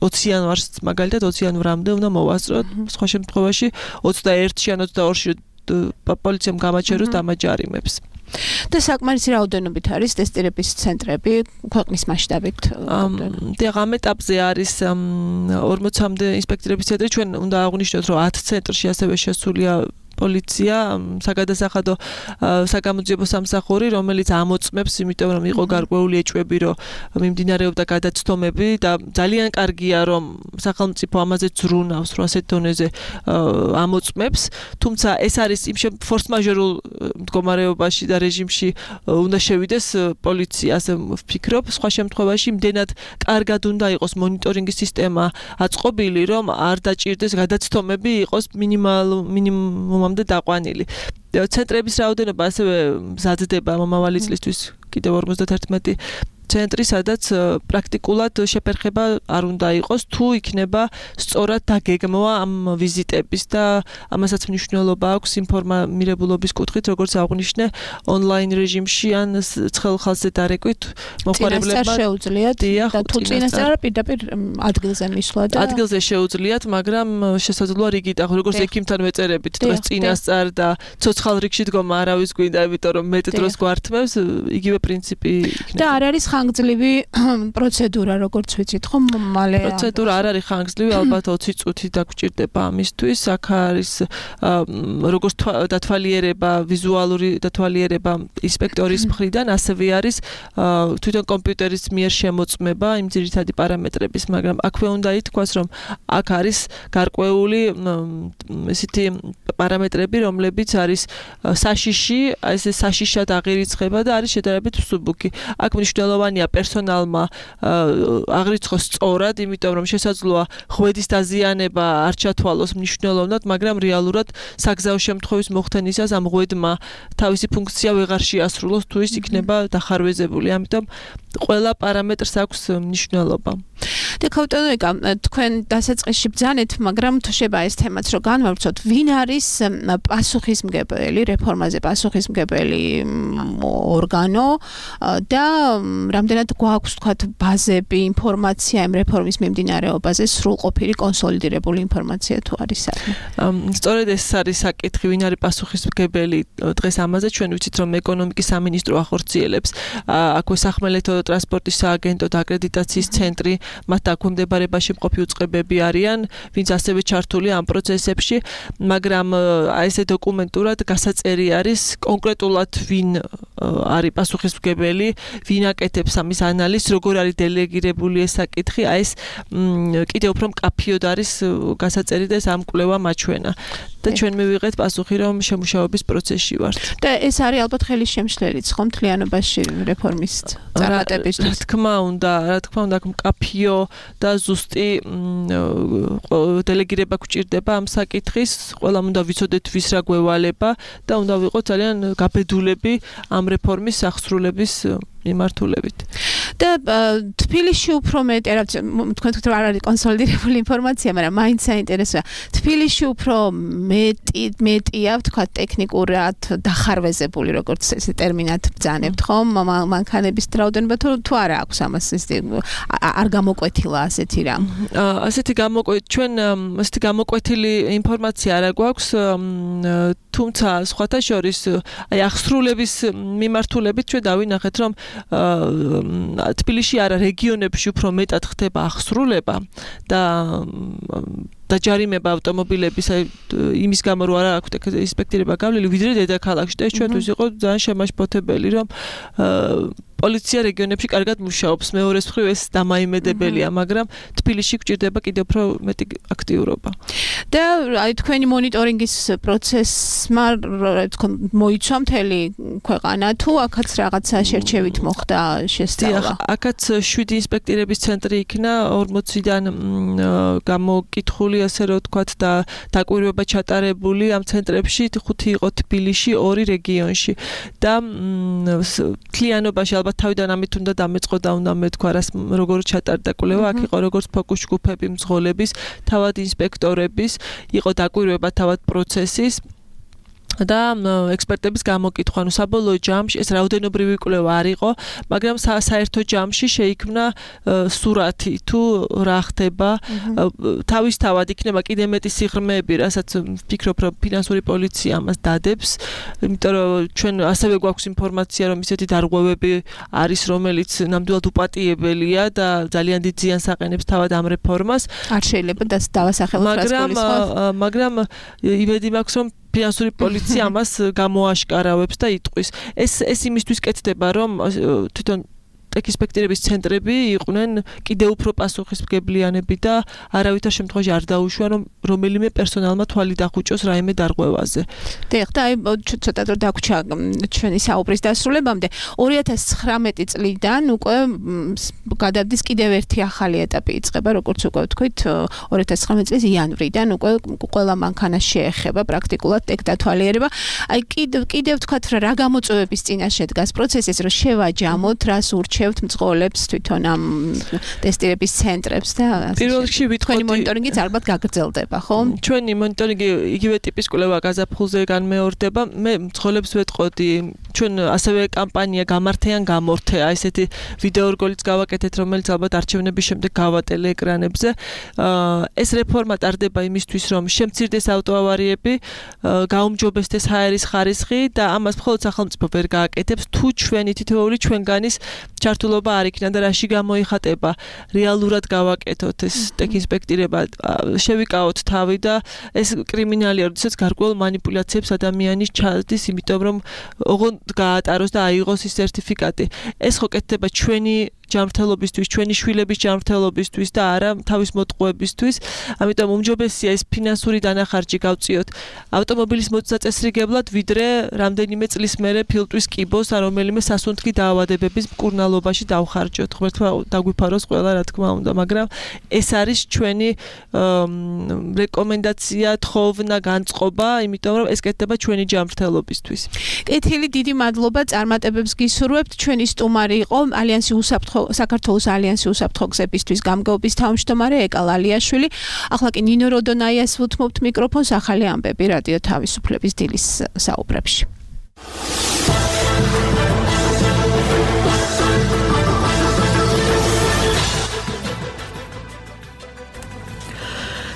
C: 20 იანვარს, მაგალითად 20 იანვრამდე უნდა მოვასწროთ, სხვა შემთხვევაში 21-ში ან 22-ში პოლიციამ გამაჩეროს დამაჯარიმებს.
B: და საკმარისი რაოდენობით არის ტესტირების ცენტრები ქვეყნის მასშტაბით.
C: დიახ, ამ ეტაპზე არის 40-მდე ინსპექტირების ცენტრი. ჩვენ უნდა აღვნიშნოთ, რომ 10 ცენტრში ასევე შესულია პოლიცია, საგადასახადო საგამოძიებო სამსახური, რომელიც ამოწმებს, იმიტომ რომ იყო გარკვეული ეჭვები, რომ მიმდინარეობდა გადაცდომები და ძალიან კარგია, რომ სახელმწიფო ამაზე ზრუნავს, რომ ასეთ დონეზე ამოწმებს, თუმცა ეს არის იმ ფორს-მაჟორულ მდგომარეობაში და რეჟიმში უნდა შევიდეს პოლიცია, ასე ვფიქრობ, სხვა შემთხვევაში იმდენად კარგად უნდა იყოს მონიტორინგის სისტემა აწყობილი, რომ არ დაჭირდეს გადაცდომები იყოს მინიმუმამდე დაყვანილი. ცენტრების რაოდენობა ასევე მზადდება მომავალი წლისთვის კიდევ 51 ცენტრი, სადაც პრაქტიკულად შეფერხება არ უნდა იყოს, თუ იქნება სწორად დაგეგმვა ამ ვიზიტების და ამასაც მნიშვნელობა აქვს ინფორმირებულობის კუთხით, როგორც აღნიშნე, ონლაინ რეჟიმში ან ცხელ ხალხზე დარეკვით მოხმარებლებმა
B: შეუძლიათ და თუ წინასწარ პირდაპირ ადგილზე მისვლა და
C: ადგილზე შეუძლიათ, მაგრამ შესაძლოა რიგით, როგორც ექიმთან ვეწერებით დღეს წინასწარ და ცოცხალ რიგში დგომა არავის გვინდა, იმიტომ რომ მეტ დროს გვართმევს, იგივე პრინციპი იქნება.
B: და არ არის ხანგრძლივი პროცედურა, როგორც ვიცით, ხო, მალე
C: პროცედურა არ არის ხანგრძლივი, ალბათ 20 წუთი დაგჭირდება ამისთვის. აქ არის როგორც დათვალიერება, ვიზუალური დათვალიერება ინსპექტორის მხრიდან, ასევე არის თვითონ კომპიუტერის მიერ შემოწმება იმ ძირითადი პარამეტრების, მაგრამ აქვე უნდა ითქვას, რომ აქ არის გარკვეული ესეთი პარამეტრები, რომლებიც არის საშიში, ეს საშიშად აღირიცხება და არის შედარებით მსუბუქი. აქ მნიშვნელოვანია პერსონალმა აღრიცხოს სწორად, იმიტომ რომ შესაძლოა ღვედის დაზიანება არ ჩათვალოს მნიშვნელოვნად, მაგრამ რეალურად საგზაო შემთხვევის მოხდენისას ამ ღვედმა თავისი ფუნქცია ვეღარ შეასრულოს, თუ ის იქნება დახარვეზებული. ამიტომ ყველა პარამეტრს აქვს მნიშვნელობა.
B: დეკავტონიკა, თქვენ დასაწყისში ბრძანეთ, მაგრამ თუ შეება ეს თემაც რომ განვავრცოთ, ვინ არის პასუხისმგებელი, რეფორმაზე პასუხისმგებელი ორგანო და რამდენად გვაქვს თქვათ ბაზები, ინფორმაცია იმ რეფორმის მიმდინარეობაზე, სრულყოფილი კონსოლიდირებული ინფორმაცია თუ არის საქმე.
C: სწორედ ეს არის საკითხი, ვინ არის პასუხისმგებელი დღეს ამაზე, ჩვენ ვიცით რომ ეკონომიკის სამინისტრო ახორციელებს, აქვე სახმელეთო ტრანსპორტის სააგენტო და აკრედიტაციის ცენტრი, მათ დაქვემდებარებაში მყოფი უწყებები არიან, ვინც ასევე ჩართული ამ პროცესებში, მაგრამ ესე დოკუმენტურად გასაწერი არის კონკრეტულად ვინ არის პასუხისმგებელი, ვინ აკეთებს ამის ანალიზს, როგორ არის დელეგირებული ეს საკითხი, ეს კიდევ უფრო მკაფიოდ არის გასაწერი და ეს ამ კვლევა მაჩვენა. და ჩვენ მივიღეთ პასუხი, რომ შემუშავების პროცესში ვართ.
B: და ეს არის ალბათ ხელის შემშლელიც, ხო, მთლიანობაში რეფორმის წარმატებისთვის.
C: რა თქმა უნდა, მკაფიო და ზუსტი დელეგირება გვჭირდება ამ საკითხის, ყველამ უნდა ვიცოდეთ ვის რა გვევალება და უნდა ვიყოთ ძალიან გაბედულები ამ რეფორმის აღსრულების მიმართულებით.
B: და თბილისში უფრო მეტი, თქვენ თქვით რომ არ არის კონსოლიდირებული ინფორმაცია, მაგრამ მაინც საინტერესოა. თბილისში უფრო მეტია, თქვა ტექნიკურად დახარვეზებული, როგორც ეს ტერმინად ბრძანებთ, ხომ? მანქანების რაოდენობა თუ არა აქვს ამას არ გამოკვეთილა ასეთი რამ.
C: ასეთი გამოკვეთილი ინფორმაცია არ გვაქვს, თუმცა სხვათა შორის აი აღსრულების მიმართულებით ჩვენ დავინახეთ, რომ თბილისში არა რეგიონებში უფრო მეტად ხდება აღსრულება და დაჯარიმება ავტომობილების იმის გამო რომ არ აქვს ინსპექტირება გავლილი, ვიდრე დედაქალაქში და ეს ჩვენთვის იყო ძალიან შემაშფოთებელი, რომ პოლიცია რეგიონებში კარგად მუშაობს, მეორეს მხრივ ეს დამაიმედებელია, მაგრამ თბილისში გვჭირდება კიდევ უფრო მეტი აქტიურობა.
B: და აი თქვენი მონიტორინგის პროცესმა მოიცვა მთელი ქვეყანა თუ აქაც რაღაცა შერჩევით მოხდა შესწავლა?
C: აქაც 7 ინსპექტირების ცენტრი იქნა 40-დან გამოკითხული, ასე რომ ვთქვათ და დაკვირვება ჩატარებული ამ ცენტრებში, 5 იყო თბილისში, 2 რეგიონში და მთლიანობაში ალბათ თავიდან ამით უნდა დამეწყო და უნდა მეთქვა რას როგორ ჩატარდა კვლევა, აქ იყო როგორც ფოკუს ჯგუფები, მძღოლების, თავად ინსპექტორების, იყო დაკვირვება თავად პროცესის და ექსპერტების გამოკითხვა, ანუ საბოლოო ჯამში ეს რაოდენობრივი კვლევა არ იყო, მაგრამ საერთო ჯამში შეიქმნა სურათი თუ რა ხდება, თავისთავად იქნება კიდე მეტი სიღრმეები, რასაც ვფიქრობ, რომ ფინანსური პოლიცია ამას დადებს, იმიტომ რომ ჩვენ ასევე გვაქვს ინფორმაცია, რომ ისეთი დარღვევები არის, რომელიც ნამდვილად უპატიებელია და ძალიან დიდ ზიანს აყენებს თავად ამ რეფორმას.
B: არ შეიძლება დავასახელოთ რას გულისხმობთ.
C: მაგრამ იმედი მაქვს, რომ ფინანსური პოლიცია ამას გამოაშკარავებს და იტყვის. ეს იმისთვის კეთდება, რომ თვითონ ტექისპექტირების ცენტრები იყვნენ კიდევ უფრო პასუხისმგებლიანები და არავითარ შემთხვევაში არ დაუშვან, რომ რომელიმე პერსონალმა თვალი დახუჭოს რაიმე დარღვევაზე.
B: დიახ, და აი ცოტა დრო დაგვრჩა ჩვენი საუბრის დასრულებამდე. 2019 წლიდან უკვე გადადის კიდევ ერთი ახალი ეტაპი იწყება, როგორც უკვე ვთქვით, 2019 წლის იანვრიდან უკვე ყველა მანქანას შეეხება პრაქტიკულად ტექდათვალიერება. აი კიდევ ვთქვათ, რა გამოწვევების წინაშე დგას პროცესის, რომ შევაჯამოთ, რას ურჩევთ მძღოლებს თვითონ ამ ტესტირების ცენტრებს და
C: პირველ რიგში ვიტყოდი
B: თქვენი მონიტორინგიც ალბათ გაგრძელდება, ხო?
C: ჩვენი მონიტორინგი იგივე ტიპის კვლევა გაზაფხულზე განმეორდება. მე მძღოლებს ვეტყოდი, ჩვენ ასევე კამპანია გამართე ან გამორთე, აი ესეთი ვიდეო რგოლიც გავაკეთეთ, რომელიც ალბათ არჩევნების შემდეგ გავატელე ეკრანებზე. ეს რეფორმა ტარდება იმისთვის, რომ შემცირდეს ავტოავარიები, გაუმჯობესდეს ჰაერის ხარისხი და ამას მხოლოდ სახელმწიფო ვერ გააკეთებს, თუ ჩვენი თითოეული ჩვენგანის ჩართულობა არ იქნა და რაში გამოიხატება, რეალურად გავაკეთოთ ეს ტექინსპექტირება, შევიკავოთ თავი და ეს კრიმინალია, როდესაც გარკვეულ მანიპულაციებს ადამიანი ჩადის, იმიტომ რომ ოღონდ გაატაროს და აიღოს ის სერტიფიკატი. ეს ხო კეთდება ჩვენი ჯანმრთელობისთვის, ჩვენი შვილების ჯანმრთელობისთვის და არა თავის მოტყუებისთვის. ამიტომ უმჯობესია ეს ფინანსური დანახარჯი გავწიოთ ავტომობილის მოწაწესრიგებლად, ვიდრე რამდენიმე წლის მერე ფილტვის კიბოს ან რომელიმე სასუნთქი დაავადებების მკურნალობაში დავხარჯოთ. ღმერთმა დაგვიფაროს ყველა, რა თქმა უნდა, მაგრამ ეს არის ჩვენი რეკომენდაცია, თხოვნა, განწყობა, იმიტომ რომ ეს კეთდება ჩვენი ჯანმრთელობისთვის.
B: კეთილი, დიდი მადლობა, წარმატებებს გისურვებთ. ჩვენი სტუმარი იყო საქართველოს ალიანსი უსაფრთხო გზებისთვის გამგეობის თავმჯდომარე ეკა ლალიაშვილი. ახლა კი ნინო როდონაიას ვუთმობთ მიკროფონს, ახალი ამბები რადიო თავისუფლების დილის საუბრებში.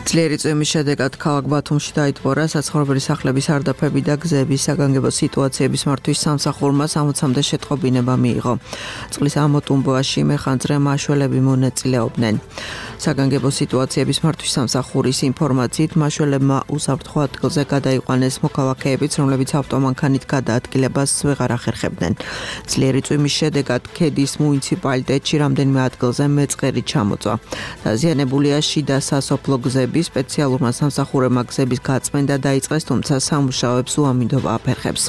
E: ძლიერი წვიმის შედეგად ქალაქ ბათუმში დაიტბორა საცხოვრებელი სახლების სარდაფები და გზების საგანგებო სიტუაციების მართვის სამსახურმა 60-მდე შეტყობინება მიიღო. წყლის ამოტუმბოში მეხანძრე მაშველები მონაწილეობდნენ. საგანგებო სიტუაციების მართვის სამსახურის ინფორმაციით მაშველებმა უსაფრთხო ადგილზე გადაიყვანეს მოქალაქეებიც, რომლებიც ავტომანქანით გადაადგილებას ვეღარ ახერხებდნენ. ძლიერი წვიმის შედეგად ქედის მუნიციპალიტეტში რამდენიმე ადგილზე მეწყერი ჩამოწვა. დაზიანებულია შიდა სასოფლო გზები. სპეციალურმა სამსახურებმა გზების გაწმენდა დაიწყეს, თუმცა სამუშაოებს უამინდობა აფერხებს.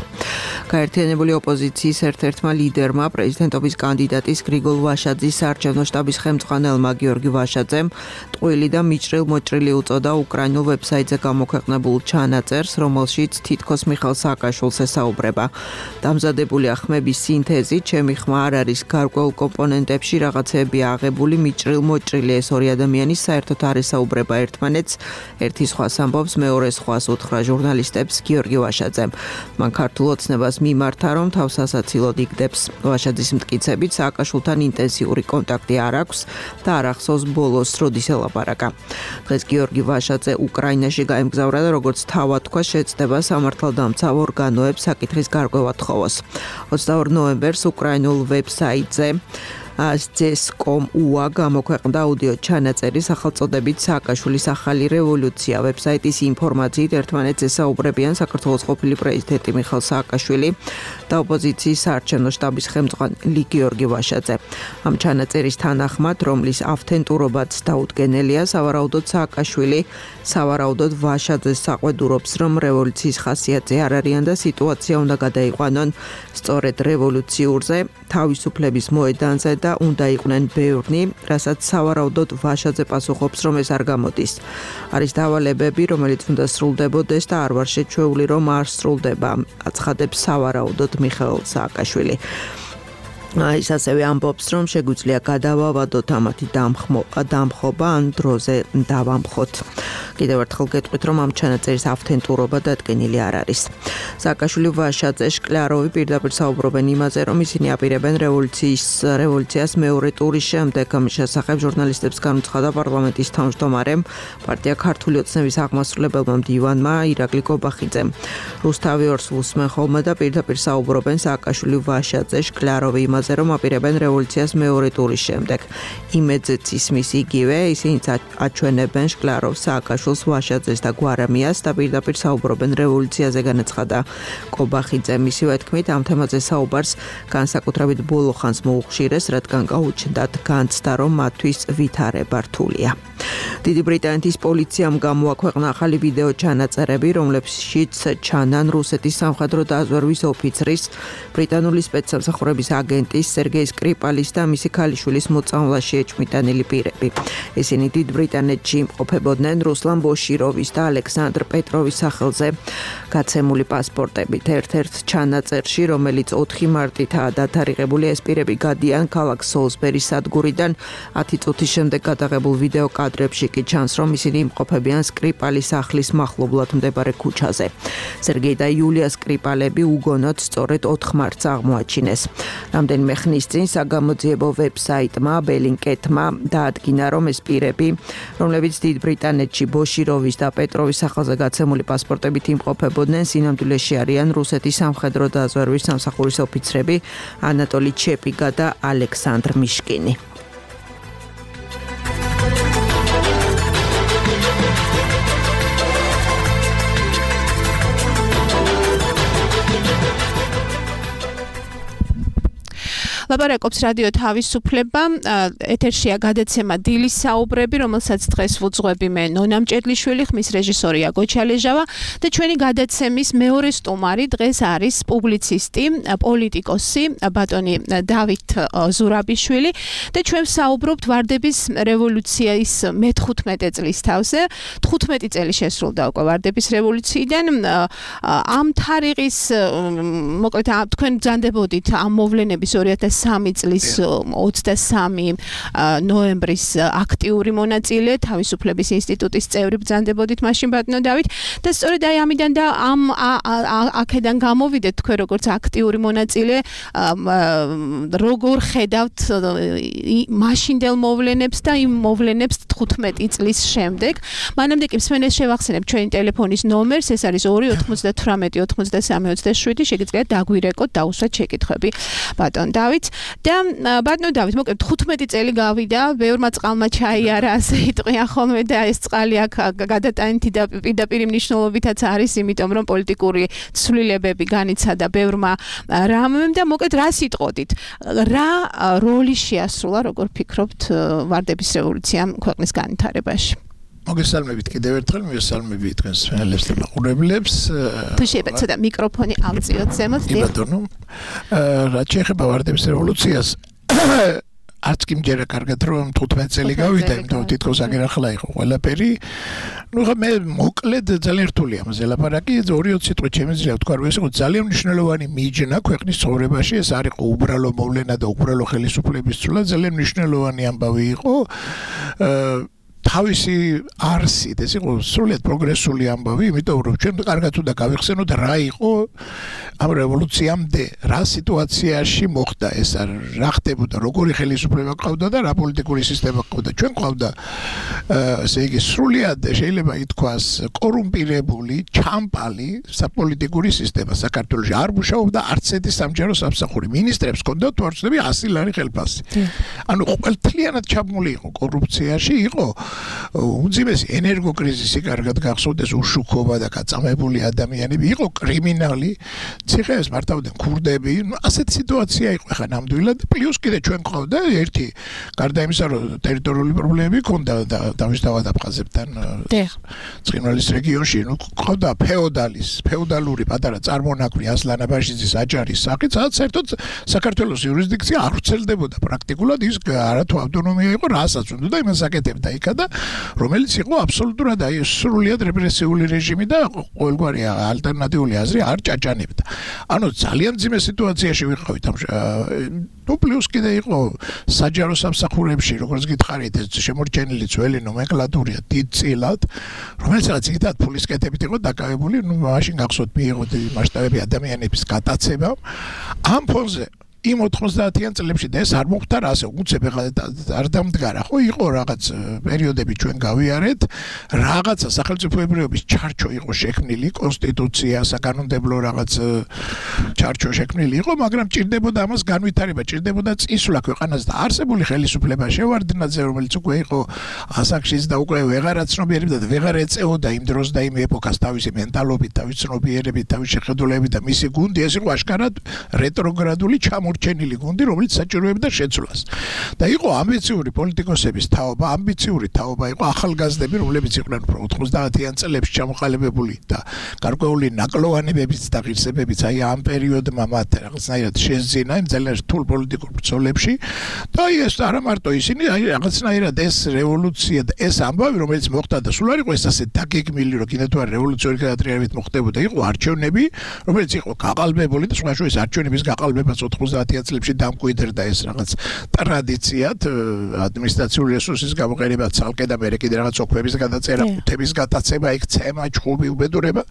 E: გაერთიანებული ოპოზიციის ერთ-ერთმა ლიდერმა, პრეზიდენტობის კანდიდატის გრიგოლ ვაშაძის საარჩევნო შტაბის ხელმძღვანელმა გიორგი ვაშაძემ ტყუილი და მიჭრილ-მოჭრილი უწოდა უკრაინულ ვებსაიტზე გამოქვეყნებულ ჩანაწერს, რომელშიც თითქოს მიხეილ სააკაშვილს ესაუბრება. დამზადებულია ხმების სინთეზი, ჩემი ხმა არ არის გარკვეულ კომპონენტებში რაღაცეებია აღებული, მიჭრილ-მოჭრილი ეს ორი ადამიანი საერთოდ არ ესაუბრება ერთმანეთს. ერთი სხვას ამბობს, მეორე სხვას უთხრა ჟურნალისტებს გიორგი ვაშაძემ. მან ქართულ ოცნებას მიმართა, რომ თავს ასაცილოდ იგდებს. ვაშაძის მტკიცებით სააკაშვილთან ინტენსიური კონტაქტი არ აქვს და არ ახსოვს ბოლოს როდის ელაპარაკა. დღეს გიორგი ვაშაძე უკრაინაში გაემგზავრა და როგორც თავად თქვა, შეწდება სამართალდამცავ ორგანოებს საკითხის გარკვევა თხოვოს. 22 ნოემბერს უკრაინულ ვებსაიტზე CES.com.ua გამოქვეყნდა აუდიო ჩანაწერი სახელწოდებით სააკაშვილის ახალი რევოლუცია. ვებსაიტის ინფორმაციით ერთმანეთს ესაუბრებიან საქართველოს ყოფილი პრეზიდენტი მიხეილ სააკაშვილი და ოპოზიციის საარჩევნო შტაბის ხელმძღვანელი გიორგი ვაშაძე. ამ ჩანაწერის თანახმად, რომლის ავთენტურობაც დაუდგენელია, სავარაუდოდ სააკაშვილი სავარაუდოდ ვაშაძეს საყვედურობს, რომ რევოლუციის ხასიათზე არ არიან და სიტუაცია უნდა გადაიყვანონ სწორედ რევოლუციურზე, თავისუფლების მოედანზე და უნდა იყვნენ ბევრნი, რასაც სავარაუდოდ ვაშაძე პასუხობს, რომ ეს არ გამოდის. არის დავალებები, რომელიც უნდა სრულდებოდეს და არ ვარ შეჩვეული, რომ არ სრულდება, აცხადებს სავარაუდოდ მიხეილ სააკაშვილი. ის ასევე ამბობს, რომ შეგვიძლია გადავავადოთ ამათი დამხობა ან დროზე დავამხოთ. კიდევ ერთხელ გეტყვით, რომ ამ ჩანაწერის ავთენტურობა დადგენილი არ არის. სააკაშვილი ვაშაძე შკლაროვი პირდაპირ საუბრობენ იმაზე, რომ ისინი აპირებენ რევოლუციას მეორე ტურის შემდეგ. ამის შესახებ ჟურნალისტებს განუცხადა პარლამენტის თავმჯდომარემ, პარტია ქართული ოცნების აღმასრულებელმა მდივანმა ირაკლი კობახიძემ. რუსთავი ორს უსმენ ხოლმე და პირდაპირ საუბრობენ სააკაშვილი ვაშაძე შკლაროვი იმაზე, რომ აპირებენ რევოლუციას მეორე ტურის შემდეგ. იმედზეც ისმის იგივე, ისინი აჩვენებენ შკლაროვს, სააკაშვილს აბაშვილს, ვაშაძეს და გვარამიას და პირდაპირ საუბრობენ რევოლუციაზე, განაცხადა კობახიძე. მისივე თქმით, ამ თემაზე საუბარს განსაკუთრებით ბოლო ხანს მოუხშირეს, რადგან გაუჩნდათ განცდა, რომ მათთვის ვითარება რთულია. დიდი ბრიტანეთის პოლიციამ გამოაქვეყნა ახალი ვიდეო ჩანაწერები, რომლებშიც ჩანან რუსეთის სამხედრო დაზვერვის ოფიცრის, ბრიტანული სპეცსამსახურების აგენტის სერგეი სკრიპალის და მისი ქალიშვილის მოწამვლაში ეჭვმიტანილი პირები. ისინი დიდ ბრიტანეთში იმყოფებოდნენ რუსლან ბოშიროვის და ალექსანდრ პეტროვის სახელზე გაცემული პასპორტებით. ერთ-ერთ ჩანაწერში, რომელიც 4 მარტითაა დათარიღებული, ეს პირები გადიან ქალაქ სოლსბერის სადგურიდან. 10 წუთის შემდეგ გადაღებულ ვიდეო კადრებში კი ჩანს, რომ ისინი იმყოფებიან სკრიპალის სახლის მახლობლად მდებარე ქუჩაზე. სერგეი და იულია სკრიპალები უგონოდ სწორედ 4 მარტს აღმოაჩინეს. რამდენიმე ხნის წინ საგამოძიებო ვებსაიტმა ბელინკეტმა დაადგინა, რომ ეს პირები, რომლებიც დიდ ბრიტანეთში ბოშიროვის და პეტროვის სახელზე გაცემული პასპორტებით იმყოფებოდნენ, სინამდვილეში არიან რუსეთის სამხედრო დაზვერვის სამსახურის ოფიცრები ანატოლი ჩეპიგა და ალექსანდრ მიშკინი.
B: ლაპარაკობს რადიო თავისუფლება, ეთერშია გადაცემა დილის საუბრები, რომელსაც დღეს ვუძღვები მე ნონა მჭედლიშვილი, ხმის რეჟისორია გოჩალეჟავა და ჩვენი გადაცემის მეორე სტუმარი დღეს არის პუბლიცისტი, პოლიტიკოსი ბატონი დავით ზურაბიშვილი და ჩვენ საუბრობთ ვარდების რევოლუციის მე-15 წლის თავზე. 15 წელი შესრულდა უკვე ვარდების რევოლუციიდან. ამ თარიღის მოკლედ თქვენ ბრძანდებოდით ამ მოვლენების 2003 წლის 23 ნოემბრის აქტიური მონაწილე, თავისუფლების ინსტიტუტის წევრი ბრძანდებოდით მაშინ ბატონო დავით და სწორედ აი ამიდან და ამ აქედან გამოვიდეთ თქვენ როგორც აქტიური მონაწილე, როგორ ხედავთ მაშინდელ მოვლენებს და იმ მოვლენებს 15 წლის შემდეგ. მანამდე კი მსმენელს შევახსენებ ჩვენი ტელეფონის ნომერს, ეს არის 298 93 27, შეგიძლიათ დაგვირეკოთ, დაუსვათ შეკითხვები ბატონ დავით. და ბატონო დავით, მოკლედ 15 წელი გავიდა, ბევრმა წყალმა ჩაიარა, ასე იტყვიან ხოლმე და ეს წყალი აქ გადატანითი და პირდაპირ მნიშვნელობითაც არის, იმიტომ რომ პოლიტიკური ცვლილებები განიცადა ბევრმა რამემ და მოკლედ რა სიტყოდით, რა როლი შეასრულა, როგორ ფიქრობთ, ვარდების რევოლუციამ ქვეყნის განვითარებაში?
F: მოგესალმებით კიდევ ერთხელ, მოგესალმებით თქვენს მსმენელებს და მაყურებლებს.
B: თუ შეიძლება ცოტა მიკროფონი ავწიოთ ზემოთ.
F: ბატონო, რაც შეეხება ვარდების რევოლუციას, არც კი მჯერა კარგად რომ 15 წელი გავიდა, იმიტომ თითქოს აგერ ახლა იყო ყველაფერი. ნუ ხა მე მოკლედ ძალიან რთულია ამაზე ლაპარაკი, 2-20 სიტყვით შემიძლია ვთქვა, რომ ეს იყო ძალიან მნიშვნელოვანი მიჯნა ქვეყნის ცხოვრებაში, ეს არ იყო უბრალო მოვლენა და უბრალო ხელისუფლების ცვლა, ძალიან მნიშვნელოვანი ამბავი იყო. თავისი არსით ეს იყო სრულიად პროგრესული ამბავი, იმიტომ რომ ჩვენ კარგად უნდა გავიხსენოთ რა იყო ამ რევოლუციამდე, რა სიტუაციაში მოხდა ეს, რა ხდებოდა, როგორი ხელისუფლება ყავდა და რა პოლიტიკური სისტემა ყავდა. ჩვენ ყავდა ესე იგი სრულიად შეიძლება ითქვას კორუმპირებული, ჩამპალი საპოლიტიკური სისტემა საქართველოში. არ მუშაობდა არც ერთი სამჯარო სამსახური. მინისტრებს ჰქონდათ თვალწინები 100 ლარი ხელფასი. ანუ ყველთლიანად ჩაბმული იყო კორუფციაში, იყო უძიმესი ენერგოკრიზისი, კარგად გახსოვდეს, უშუქობა და გაწამებული ადამიანები, იყო კრიმინალი, ციხეებს მართავდნენ ქურდები, ასეთი სიტუაცია იყო ხა ნამდვილად. პლუს კიდე ჩვენ ყავდა ერთი, გარდა იმისა, რომ ტერიტორიული პრობლემები ჰქონდა და დავისთავად აფხაზებთან ცხინვალის რეგიონში, ნუ ყავდა ფეოდალური პატარა წარმონაქმნი ასლან აბაშიძის აჯარის სახით, სადაც საერთოდ საქართველოს იურისდიქცია არ ვრცელდებოდა პრაქტიკულად, ის არათუ ავტონომია იყო, რასაც უნდა და იმას აკეთებდა იქა და რომელიც იყო აბსოლუტურად აი სრულიად რეპრესიული რეჟიმი და ყოველგვარი ალტერნატიული აზრი არ ჭაჭანებდა. ანუ ძალიან ძიმე სიტუაციაში ვიყავით ამ ნუ პლუს კიდე იყო საჯარო სამსახურებში, როგორც გითხარით, ეს შემორჩენილი ძველი ნომენკლატურა დიდწილად, რომელიც რაღაც იქიდან ფულის კეთებით იყო დაკავებული, ნუ მაშინ გახსოვთ მიიღო მასშტაბები ადამიანების გადაცემა. ამ ფონზე იმ 90-იან წლებში და ეს არ მოხდა ასე უცებ არ დამდგარა ხო იყო რაღაც პერიოდები ჩვენ გავიარეთ რაღაცა სახელმწიფოებრიობის ჩარჩო იყო შექმნილი კონსტიტუცია საკანონმდებლო რაღაც ჩარჩო შექმნილი იყო მაგრამ ჭირდებოდა ამას განვითარება ჭირდებოდა წისვლა ქვეყანას და არსებული ხელისუფლება შევარდნაძე რომელიც უკვე იყო ასაკშიც და უკვე ვეღარ აცნობიერებდა და ვეღარ ეწეოდა იმ დროს და იმ ეპოქას თავისი მენტალობით თავისი ცნობიერებით თავისი შეხედულებით და მისი გუნდი ეს იყო აშკარად რეტროგრადული ჩამორჩენილი გუნდი რომელიც საჭიროებდა შეცვლას და იყო ამბიციური პოლიტიკოსების თაობა ამბიციური თაობა იყო ახალგაზრდები რომლებიც იყვნენ უფრო 90-იან წლებში ჩამოყალიბებული და გარკვეული ნაკლოვანებებიც და ღირსებებიც აი ამ პერიოდმა მათ რაღაცნაირად შეძინა იმ ძალიან რთულ პოლიტიკურ ბრძოლებში და ეს არა მარტო ისინი აი რაღაცნაირად ეს რევოლუცია და ეს ამბავი რომელიც მოხდა და სულ არ იყო ეს ასე დაგეგმილი რომ კიდევ თუ არ რევოლუციური გადატრიალებით მოხდებოდა იყო არჩევნები რომელიც იყო გაყალბებული და სხვა ეს არჩევნების გაყალბებას 90-იან წლებში დამკვიდრდა ეს რაღაც ტრადიციად ადმინისტრაციული რესურსის გამოყენება ცალკე და მე კიდე რაღაც ოქმების გადაწერა ყუთების გადაცემა იქ ცემა ჩხუბი უბედურება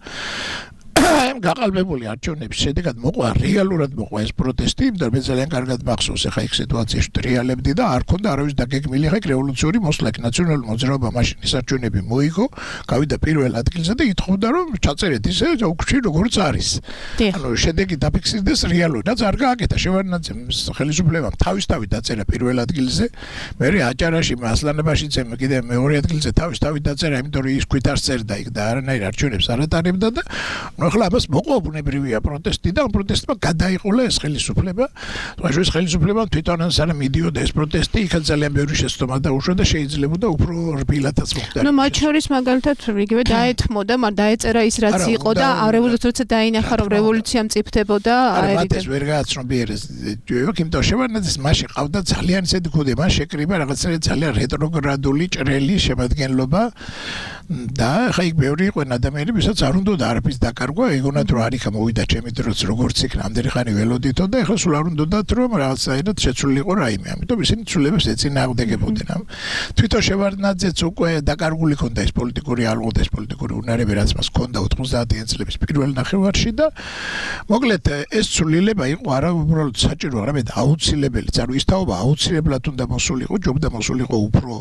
F: გაყალბებული არჩევნების შედეგად მოყვა რეალურად მოყვა ეს პროტესტი იმიტომ მე ძალიან კარგად მახსოვს ახლა იქ სიტუაციაში ტრიალებდი და არ ქონდა არავის დაგეგმილი ახლა რევოლუციური მოსლაკ ნაციონალური მოძრაობა მაშინ ის არჩევნები მოიგო გავიდა პირველ ადგილზე და ითხოვდა რომ ჩაწერეთ ისე უკში როგორც არის ანუ შედეგი დაფიქსირდეს რეალურად არ გააკეთა შევარდნაძემ ხელისუფლებამ თავისთავად დაწერა პირველ ადგილზე მე აჭარაში მასლანებაშიც კიდე მეორე ადგილზე თავისთავად დაწერა იმიტომ რომ ის ქვით არ წერდა იქ და არანაირ არჩევნებს არ ატარებდა და ახლა ამას მოყვა ბუნებრივია პროტესტი და ამ პროტესტმა გადაიყოლა ეს ხელისუფლება. თუმცა ეს ხელისუფლება თვითონ არ მიდიოდა ეს პროტესტი, იქაც ძალიან ბევრი შეცდომა დაუშვა და შეიძლებოდა უფრო რბილადაც მოხდა.
B: ნუ მათ შორის მაგალითად იგივე დაეთმოდა, მაგრამ დაეწერა ის რაც იყო და რევოლუცია დაინახა რომ რევოლუცია მწიფდებოდა
F: აერიდე. ეს ვერ გააცნობიერეს. იმიტომ შევარდნაძის მაშინ ყავდა ძალიან ისეთი ქუდი, მას შეკრიბა რაღაცა ძალიან რეტროგრადული ჭრელი შემადგენლობა და ხა იქ ბევრი იყვნენ ადამიანები, ვისაც არ უნდოდა არაფრის დაკარგვა, ეგონათ რომ არიქა მოვიდა ჩემი დროც როგორც იქ ნამდვილი ხანი ველოდითო და ეხლა სულ არ უნდათ რომ რაღაცაირად შეცვლილიყო რაიმე. ამიტომ ისინი ცვლილებებს ეწინააღმდეგებოდნენ. თვითონ შევარდნაძეც უკვე დაკარგული ქონდა ეს პოლიტიკური ალღოთ, ეს პოლიტიკური უნარები, რაც მას ქონდა 90-იან წლების პირველ ნახევარში და მოკლედ ეს ცვლილება იყო არა უბრალოდ საჭირო, არამედ აუცილებელიც. ანუ ის თაობა აუცილებლად უნდა მოსულიყო, ჯობდა მოსულიყო უფრო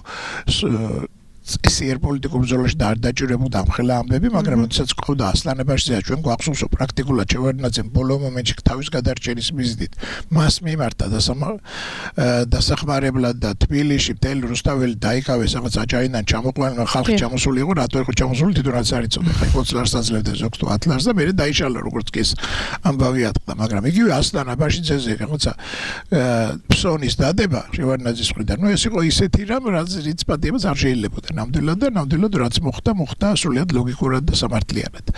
F: ესიერ პოლიტიკურ ბრძოლაში და არ დაჭირებოდა ამხელა ამბები, მაგრამ როდესაც ყავდა ასლანებაშიძე ჩვენ გვახსოვს პრაქტიკულად შევარდნაძემ ბოლო მომენტში თავის გადარჩენის მიზნით მას მიმართა დასახმარებლად და თბილისში მთელი რუსთაველი დაიკავეს რაღაც აჭარიდან ჩამოყვანა ხალხი ჩამოსული იყო, რატო იყო ჩამოსული თვითონაც არ იცოდა. ხა 20 ლარს აძლევდა ზოგს თუ 10 ლარს და მე დაიშალა როგორც კი ეს ამბავი ატყდა, მაგრამ იგივე ასლანებაშიძეზე რაღაცა ფსონის დადება შევარდნაძის მხრიდან. ნუ ეს იყო ისეთი რამ, რაც რიცპატიებას არ შეიძლებოდა. ნამდვილად რაც მოხდა სრულიად ლოგიკურად და სამართლიანად.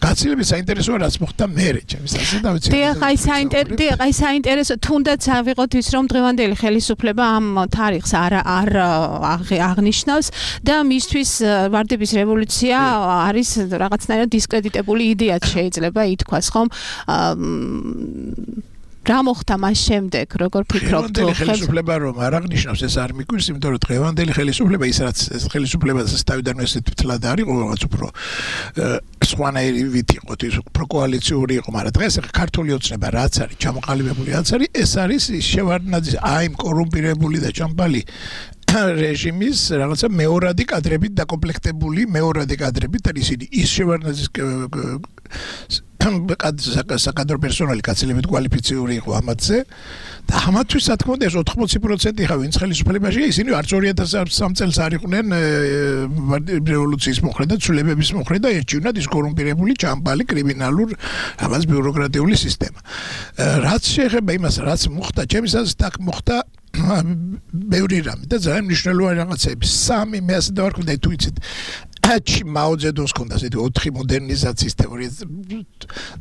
F: გაცილებით საინტერესოა რაც მოხდა მერე ჩემს ასე დავიცი.
B: აი საინტერესო თუნდაც ავიღოთ ის რომ დღევანდელი ხელისუფლება ამ თარიღს არ აღნიშნავს და მისთვის ვარდების რევოლუცია არის რაღაცნაირად დისკრედიტებული იდეაც შეიძლება ითქვას ხომ? რა მოხდა მას შემდეგ, როგორ ფიქრობთ?
F: ხელისუფლება რომ არ აღნიშნავს ეს არ მიგვირს, იმიტომ რომ დღევანდელი ხელისუფლება ის რაც ეს ხელისუფლება თავიდან ესეთ თლად არის, რაღაც უფრო სხვანაირი ვით იყო, ის უფრო კოალიციური იყო, მაგრამ დღეს ქართული ოცნება რაც არის, ჩამოყალიბებული რაც არის, ეს არის შევარდნაძის აი იმ კორუმპირებული და ჩამბალი რეჟიმის რაღაცა მეორადი კადრებით დაკომპლექტებული მეორადი კადრებით და ისინი ის შევარდნაძის საკადრო პერსონალი კაცილებით კვალიფიციური იყო ამათზე და ამათთვის რა თქმა უნდა ეს 80% ხა ვინც ხელისუფლებაში ისინი არც 2003 წელს არ იყვნენ რევოლუციის მოხრე და ცვლილებების მოხრე და ერჩივნად ის კორუმპირებული ჩამბალი კრიმინალურ რაღაც ბიუროკრატიული სისტემა. რაც შეეხება იმას რაც მოხდა ჩემს აზრით აქ მოხდა ბევრი რამე და ძალიან მნიშვნელოვანი რაღაცები. სამი მე ასე დავარქვი თუ იცით მაოძედუნს ქონდა ესეთი 4 მოდერნიზაციის თეორია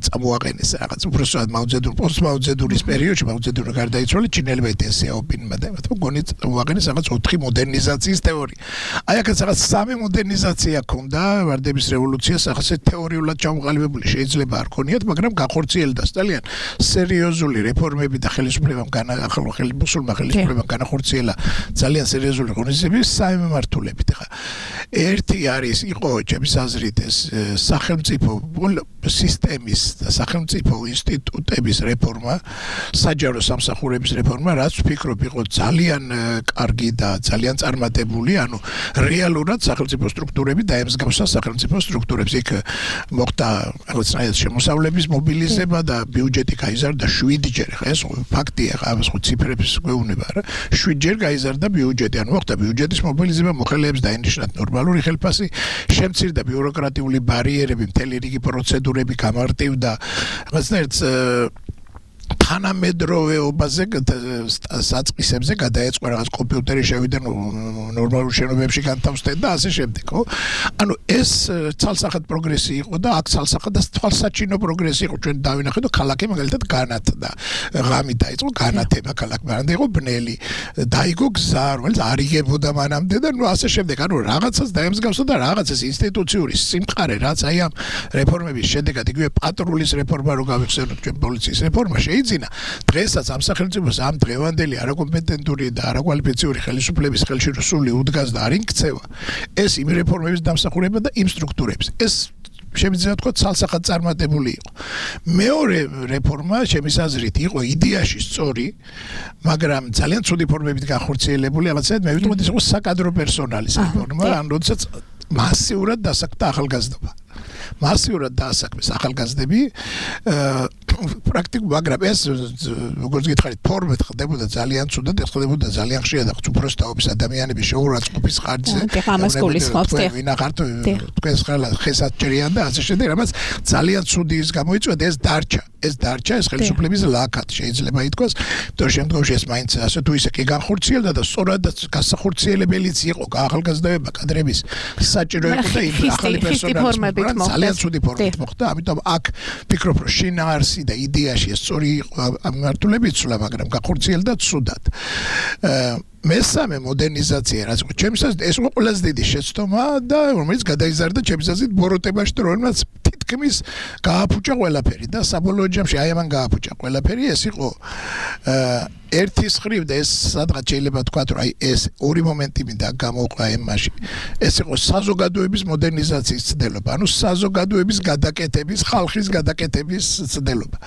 F: წამოაყენეს რაღაც უბრალოდ მაოძედუნ პოსტმაოძედუნის პერიოდში მაოძედუნი გარდაიცვალა ჩინელებმა დენსიაოპინმა და მათ მგონი წამოაყენეს რაღაც 4 მოდერნიზაციის თეორია. აი აქაც რაღაც 3 მოდერნიზაცია ქონდა ვარდების რევოლუციას ახასე თეორიულად ჩამოყალიბებული შეიძლება არ ქონიათ, მაგრამ განხორციელდა ძალიან სერიოზული რეფორმები და ხელისუფლებამ ხელისუფლებამ განახორციელა ძალიან სერიოზული ღონისძიებები სამი მიმართულებით. ხა ერთი არის იყო ჩემს აზრით ეს სახელმწიფო სისტემის და სახელმწიფო ინსტიტუტების რეფორმა, საჯარო სამსახურების რეფორმა, რაც ვფიქრობ იყო ძალიან კარგი და ძალიან წარმატებული, ანუ რეალურად სახელმწიფო სტრუქტურები დაემსგავსა სახელმწიფო სტრუქტურებს. იქ მოხდა რაღაცნაირად შემოსავლების მობილიზება და ბიუჯეტი გაიზარდა 7-ჯერ. ხა ეს ფაქტია, ხა ეს ციფრებს გვეუბნება რა. 7-ჯერ გაიზარდა ბიუჯეტი, ანუ მოხდა ბიუჯეტის მობილიზება, მოხელეებს დაინიშნათ ნორმალური ხელფასი, შემცირდა ბიუროკრატიული ბარიერები, მთელი რიგი პროცედურები გამარტივდა. რაღაცნაირად თანამედროვეობაზე საწყისებზე გადაეწყო რაღაც კომპიუტერი შევიდა ნორმალურ შენობებში განთავსდა და ასე შემდეგ, ხო? ანუ ეს ცალსახად პროგრესი იყო და აქ ცალსახად და თვალსაჩინო პროგრესი იყო. ჩვენ დავინახეთ, რომ ქალაქი მაგალითად განათდა. ღამით დაიწყო განათება ქალაქში, მაგრამ იყო ბნელი. დაიგო გზა, რომელიც არ იგებოდა მანამდე და ასე შემდეგ. ანუ რაღაცას დაემსგავსა და რაღაცას ინსტიტუციური სიმყარე, რაც აი ამ რეფორმების შედეგად იგივე პატრულის რეფორმა რო გავიხსენოთ, ჩვენ პოლიციის რეფორმა შეიძლება დღესაც ამ სახელმწიფოს ამ დღევანდელი არაკომპეტენტური და არაკვალიფიციური ხელისუფლების ხელში სული უდგას და არ იქცევა ეს იმ რეფორმების დამსახურება და იმ სტრუქტურების ეს შემიძლია თქვა ცალსახად წარმატებული იყო მეორე რეფორმა ჩემის აზრით იყო იდეაში სწორი მაგრამ ძალიან ცუდი ფორმებით განხორციელებული რაღაცა მე ვიტყოდი ეს იყო საკადრო პერსონალის რეფორმა ან როდესაც მასიურად დასაქმდა ახალგაზრდობა მასიურად დაასაქმეს ახალგაზრდები პრაქტიკულად მაგრამ ეს როგორც გითხარით ფორმით ხდებოდა ძალიან ცუდად ხდებოდა ძალიან ხშირად უბრალოდ თაობის ადამიანების შეურაცხყოფის ხარჯზე
B: ამას გულისხმობთ
F: ვინახართ თქვენს ხესაც ჭრიან და ასე შემდეგ რამაც ძალიან ცუდი ის გამოიწვია ეს დარჩა ეს ხელისუფლების ლაქად შეიძლება ითქვას იმიტომ შემდგომში ეს მაინც ასე თუ ისე კი განხორციელდა და სწორად გასახორციელებელიც იყო ახალგაზრდაობა კადრების საჭირო იყო და იმ ახალი პერსონალის ძალიან ცუდი ფორმით მოხდა ამიტომ აქ ფიქრობ რომ შინაარსი და იდეაში ეს სწორი იყო მართულებით სულა მაგრამ განხორციელდა ცუდად მესამე მოდერნიზაცია რაც ჩემს აზრით ეს იყო ყველაზე დიდი შეცდომა და რომელიც გადაიზარდა ჩემს აზრით ბოროტებაში რომელსაც თითქმის გააფუჭა ყველაფერი და საბოლოო ჯამში აი ამან გააფუჭა ყველაფერი ეს იყო ერთის ხრივ და ეს სადღაც შეიძლება თქვა რომ აი ეს ორი მომენტი მინდა გამოყვა ემაში ეს იყო საზოგადოების მოდერნიზაციის ცდელობა ანუ საზოგადოების გადაკეთების ხალხის გადაკეთების ცდელობა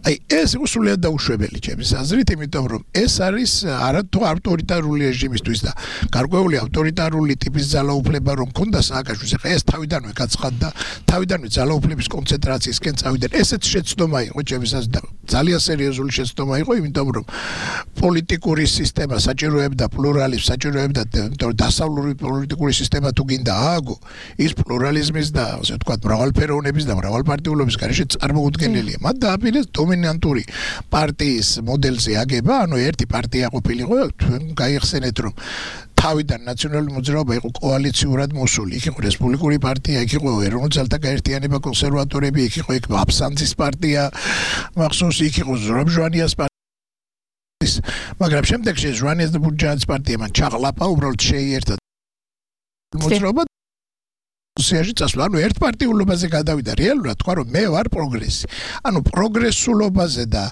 F: აი ეს იყო სულად დაუშვებელი ჩემს აზრით იმიტომ რომ ეს არის არათუ ავტორიტარული რეჟიმისთვის და გარკვეული ავტორიტარული ტიპის ძალაუფლება რომ ქონდა სააკაშვილს ხა ეს თავიდანვე გაცხადდა თავიდანვე ძალაუფლების კონცენტრაციისკენ წავიდა ესეც შეცდომა იყო ჩემს აზრით ძალიან სერიოზული შეცდომა იყო იმიტომ რომ პოლიტიკური სისტემა საჭიროებდა პლურალიზმს საჭიროებდა დასავლური პოლიტიკური სისტემა თუ გინდა ააგო ის პლურალიზმის და ასე ვთქვათ მრავალფეროვნების და მრავალპარტიულობის გარეშე წარმოუდგენელია მათ დააპირეს დომინანტური პარტიის მოდელზე აგება ანუ ერთი პარტია ყოფილიყო თქვენ გაიხსენეთ რომ თავიდან ნაციონალური მოძრაობა იყო კოალიციურად მოსული იქ იყო რესპუბლიკური პარტია იქ იყო ეროვნულ ძალთა გაერთიანება კონსერვატორები იქ იყო აბსანცის პარტია მახსოვს იქ იყო ზურაბ-ჟვანიას მაგრამ შემდეგში ჟვანიას და ბურჯაანის პარტია მან ჩაღლაპა უბრალოდ შეიერთა მოძრაობა სიაში წასვლა ანუ ერთპარტიულობაზე გადავიდა რეალურად თქვა რომ მე ვარ პროგრესი ანუ პროგრესულობაზე და